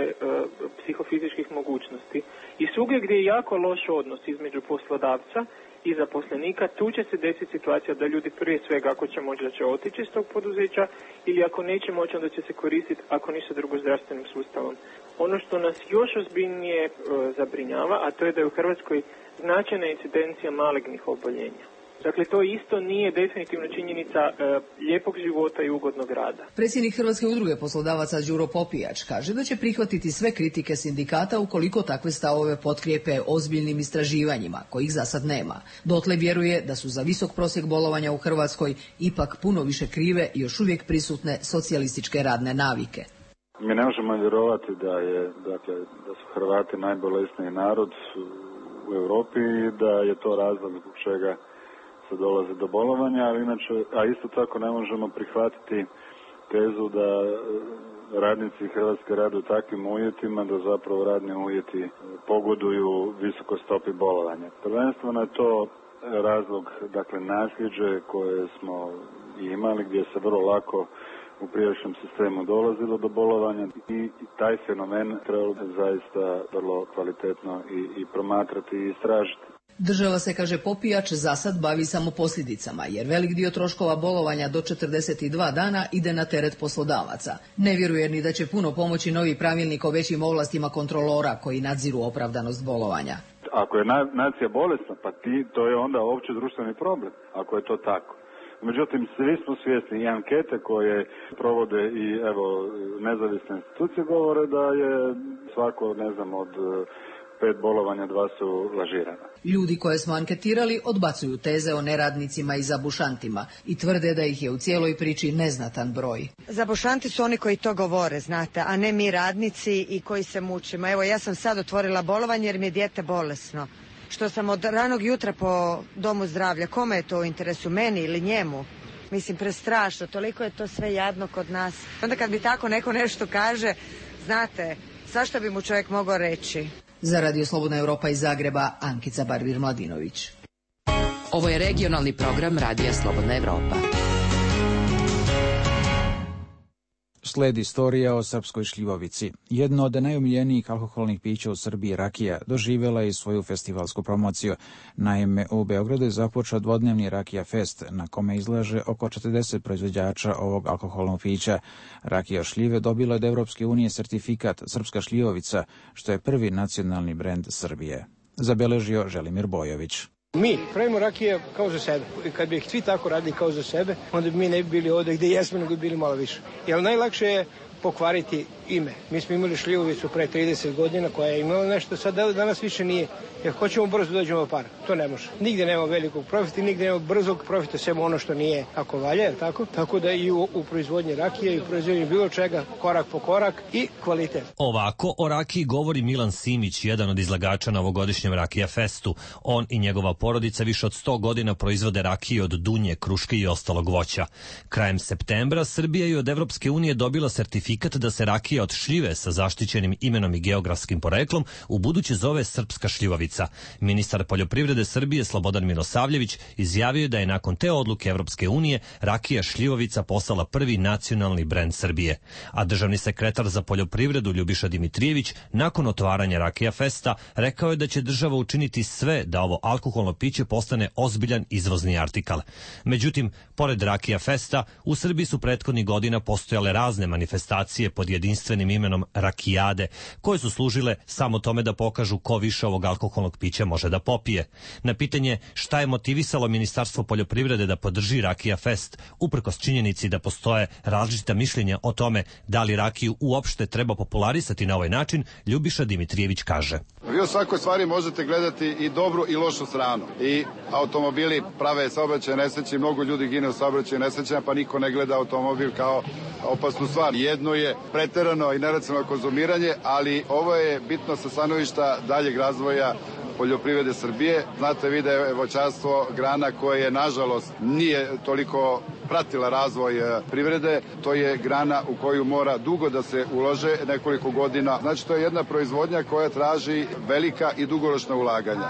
psihofizičkih mogućnosti. I svugdje gdje je jako loš odnos između poslodavca i zaposlenika, tu će se desiti situacija da ljudi prije svega, ako će moći, da će otići iz tog poduzeća, ili ako neće moći, onda će se koristiti, ako ništa drugo, zdravstvenim sustavom. Ono što nas još ozbiljnije zabrinjava, a to je da je u Hrvatskoj značajna incidencija malignih oboljenja. Dakle, to isto nije definitivno činjenica lijepog života i ugodnog rada. Predsjednik Hrvatske udruge poslodavaca Đuro Popijač kaže da će prihvatiti sve kritike sindikata ukoliko takve stavove potkrijepe ozbiljnim istraživanjima, kojih za sad nema. Dotle vjeruje da su za visok prosjek bolovanja u Hrvatskoj ipak puno više krive i još uvijek prisutne socijalističke radne navike. Mi ne možemo vjerovati da su Hrvati najbolesniji narod u Europi i da je to razlog zbog čega se dolazi do bolovanja, ali inače, a isto tako ne možemo prihvatiti tezu da radnici Hrvatske rade u takvim uvjetima da zapravo radni uvjeti pogoduju visokoj stopi bolovanja. Prvenstveno je to razlog, dakle, nasljeđe koje smo imali, gdje se vrlo lako u prijašnjem sistemu dolazilo do bolovanja i taj fenomen trebalo bi zaista vrlo kvalitetno i promatrati i istražiti. Država se, kaže Popijač, za sad bavi samo posljedicama, jer velik dio troškova bolovanja do 42 dana ide na teret poslodavaca. Ne vjeruje ni da će puno pomoći novi pravilnik o većim ovlastima kontrolora koji nadziru opravdanost bolovanja. Ako je nacija bolesna, pa to je onda opće društveni problem, ako je to tako. Međutim, svi smo svjesni i ankete koje provode i nezavisne institucije govore da je svako, od 5 bolovanja 2 su lažirana. Ljudi koje smo anketirali odbacuju teze o neradnicima i zabušantima i tvrde da ih je u cijeloj priči neznatan broj. Zabušanti su oni koji to govore, znate, a ne mi radnici i koji se mučimo. Evo, ja sam sad otvorila bolovanje jer mi je dijete bolesno. Što sam od ranog jutra po domu zdravlja. Kome je to u interesu, meni ili njemu? Mislim, prestrašno, toliko je to sve jadno kod nas. Onda kad bi tako neko nešto kaže, znate, svašta bi mu čovjek mogao reći. Za Radio Slobodna Europa iz Zagreba, Ankica Barbir-Mladinović. Ovo je regionalni program Radija Slobodna Europa. Slijedi istorija o srpskoj šljivovici. Jedno od najomiljenijih alkoholnih pića u Srbiji, rakija, doživjela je svoju festivalsku promociju. Naime, u Beogradu je započeo dvodnevni Rakija Fest, na kome izlaže oko 40 proizvođača ovog alkoholnog pića. Rakija šljive dobila od Evropske unije sertifikat Srpska šljivovica, što je prvi nacionalni brend Srbije. Zabeležio Želimir Bojović. Mi pravimo rakije kao za sebe. I kad bi svi tako radili kao za sebe, onda bi mi ne bi bili ovdje gdje jesmo, nego bi bili malo više. Jer najlakše je pokvariti ime. Mi smo imali šljivovicu pre 30 godina koja je imala nešto, sad danas više nije. Jer hoćemo brzo dođemo par. To ne može. Nigdje nema velikog profita, nigdje nema brzog profita, samo ono što nije ako valja, jer tako? Tako da i u proizvodnji rakije i u proizvodnji bilo čega, korak po korak i kvalitet. Ovako o rakiji govori Milan Simić, jedan od izlagača na ovogodišnjem Rakija Festu. On i njegova porodica više od 100 godina proizvode rakije od dunje, kruške i ostalog voća. Krajem septembra Srbija je od Evropske unije dobila sertifikat da se rakija od šljive sa zaštićenim imenom i geografskim poreklom ubuduće zove Srpska šljivovica. Ministar poljoprivrede Srbije Slobodan Milosavljević izjavio je da je nakon te odluke Evropske unije rakija šljivovica postala prvi nacionalni brend Srbije. A državni sekretar za poljoprivredu Ljubiša Dimitrijević nakon otvaranja Rakija Festa rekao je da će država učiniti sve da ovo alkoholno piće postane ozbiljan izvozni artikal. Međutim, pored Rakija Festa, u Srbiji su prethodnih godina postojale razne manifestacije pod jedinstvenim imenom Rakijade, koje su služile samo tome da pokažu ko više ovog alkoholnog pića može da popije. Na pitanje šta je motivisalo Ministarstvo poljoprivrede da podrži Rakija Fest, uprkos činjenici da postoje različita mišljenja o tome da li rakiju uopšte treba popularisati na ovaj način, Ljubiša Dimitrijević kaže. Vi u svakoj stvari možete gledati i dobru i lošu stranu. I automobili prave saobraćajne nesreće, mnogo ljudi gine u saobraćajnim nesrećama, pa niko ne gleda automobil kao opasnu stvar. Jedno je preterano i neracionalno konzumiranje, ali ovo je bitno sa stanovišta daljeg razvoja poljoprivrede Srbije. Znate vi da je voćarstvo grana koja nažalost nije toliko pratila razvoj privrede. To je grana u koju mora dugo da se ulože, nekoliko godina. Znači to je jedna proizvodnja koja traži velika i dugoročna ulaganja.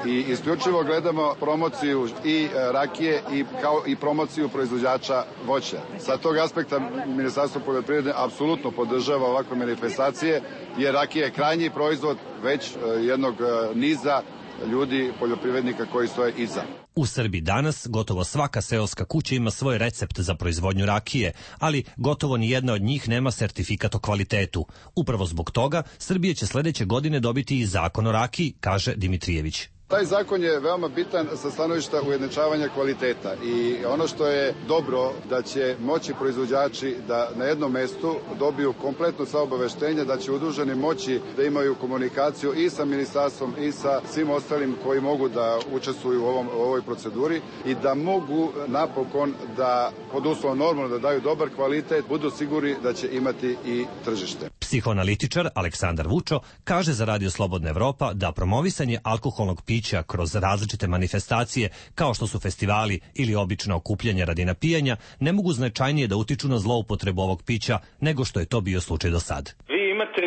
I isključivo gledamo promociju i rakije kao i promociju proizvođača voća. Sa tog aspekta Ministarstvo poljoprivrede apsolutno podržava ovakve manifestacije, jer rakija je krajnji proizvod već jednog niza ljudi, poljoprivrednika koji stoje iza. U Srbiji danas gotovo svaka seoska kuća ima svoj recept za proizvodnju rakije, ali gotovo ni jedna od njih nema sertifikat o kvalitetu. Upravo zbog toga Srbija će sledeće godine dobiti i zakon o rakiji, kaže Dimitrijević. Taj zakon je veoma bitan sa stanovišta ujednačavanja kvaliteta i ono što je dobro da će moći proizvođači da na jednom mestu dobiju kompletno sva obaveštenja, da će udruženi moći da imaju komunikaciju i sa ministarstvom i sa svim ostalim koji mogu da učestvuju u ovoj proceduri i da mogu napokon da pod uslovom normalno da daju dobar kvalitet, budu sigurni da će imati i tržište. Psihoanalitičar Aleksandar Vučo kaže za Radio Slobodna Evropa da promovisanje alkoholnog pića kroz različite manifestacije, kao što su festivali ili obično okupljanje radi napijanja, ne mogu značajnije da utiču na zloupotrebu ovog pića nego što je to bio slučaj do sad. Vi imate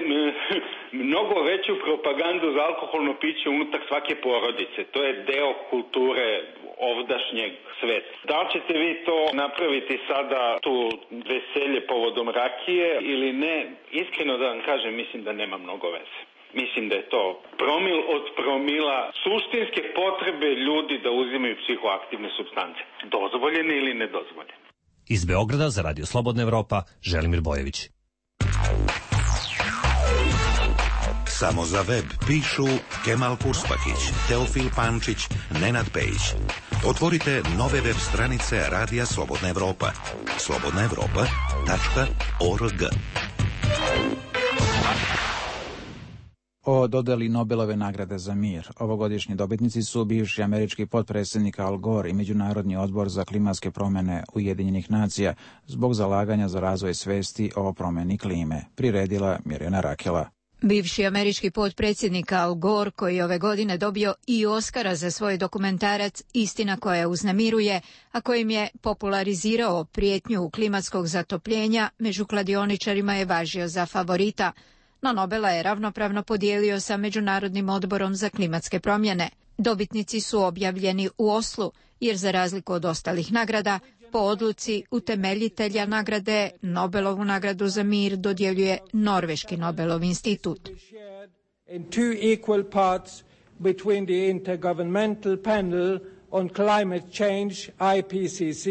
mnogo veću propagandu za alkoholno piće unutar svake porodice. To je deo kulture ovdašnjeg sveta. Da li ćete vi to napraviti sada, tu veselje povodom rakije ili ne? Iskreno da vam kažem, mislim da nema mnogo veze. Mislim da je to promil od promila suštinske potrebe ljudi da uzimaju psihoaktivne supstance. Dozvoljene ili nedozvoljene. Iz Beograda za Radio Slobodna Evropa, Želimir Bojević. Samo za web pišu Kemal Kurspakić, Teofil Pančić, Nenad Pejić. Otvorite nove web stranice Radija Slobodna Evropa. slobodnaevropa.org. O dodeli Nobelove nagrade za mir. Ovogodišnji dobitnici su bivši američki potpredsjednik Al Gore i Međunarodni odbor za klimatske promjene Ujedinjenih nacija zbog zalaganja za razvoj svesti o promjeni klime. Priredila Mirjana Rakela. Bivši američki potpredsjednik Al Gore, koji ove godine dobio i Oskara za svoj dokumentarac Istina koja uznemiruje, a kojim je popularizirao prijetnju klimatskog zatopljenja, među kladioničarima je važio za favorita. No Nobela je ravnopravno podijelio sa Međunarodnim odborom za klimatske promjene. Dobitnici su objavljeni u Oslu, jer za razliku od ostalih nagrada, po odluci utemeljitelja nagrade, Nobelovu nagradu za mir dodjeljuje Norveški Nobelov institut. In two equal parts between the Intergovernmental Panel on Climate Change, IPCC,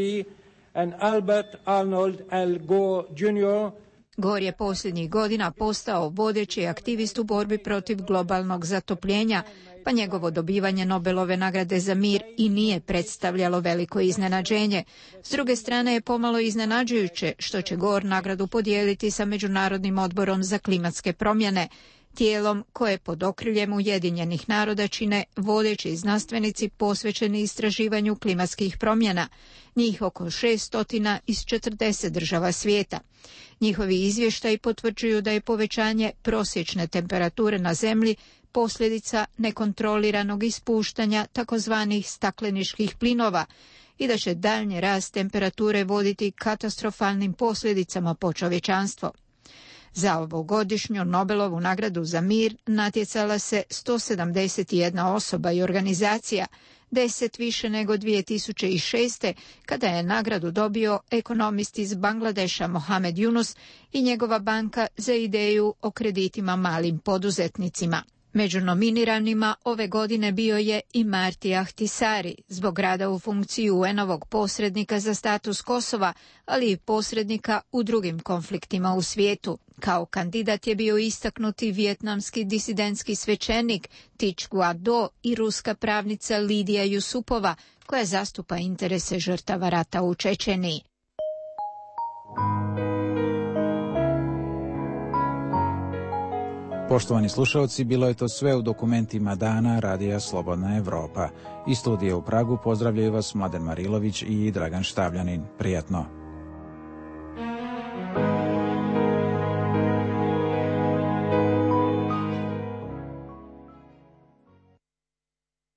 and Albert Arnold Al Gore Jr., Gore je posljednjih godina postao vodeći aktivist u borbi protiv globalnog zatopljenja, pa njegovo dobivanje Nobelove nagrade za mir i nije predstavljalo veliko iznenađenje. S druge strane je pomalo iznenađujuće što će Gore nagradu podijeliti sa Međunarodnim odborom za klimatske promjene, tijelom koje pod okriljem Ujedinjenih naroda čine vodeći znanstvenici posvećeni istraživanju klimatskih promjena, njih oko 600 iz 40 država svijeta. Njihovi izvještaji potvrđuju da je povećanje prosječne temperature na zemlji posljedica nekontroliranog ispuštanja takozvanih stakleničkih plinova i da će daljnji rast temperature voditi katastrofalnim posljedicama po čovječanstvo. Za ovogodišnju Nobelovu nagradu za mir natjecala se 171 osoba i organizacija, 10 više nego 2006. kada je nagradu dobio ekonomist iz Bangladeša Mohamed Yunus i njegova banka za ideju o kreditima malim poduzetnicima. Među nominiranima ove godine bio je i Marti Ahtisari zbog rada u funkciji UN-ovog posrednika za status Kosova, ali i posrednika u drugim konfliktima u svijetu. Kao kandidat je bio istaknuti vijetnamski disidentski svećenik Thich Guat Do i ruska pravnica Lidija Jusupova, koja zastupa interese žrtava rata u Čečeniji. Poštovani slušalci, bilo je to sve u dokumentima dana Radija Slobodna Evropa. Iz studija u Pragu pozdravljaju vas Mladen Marilović i Dragan Štavljanin. Prijatno.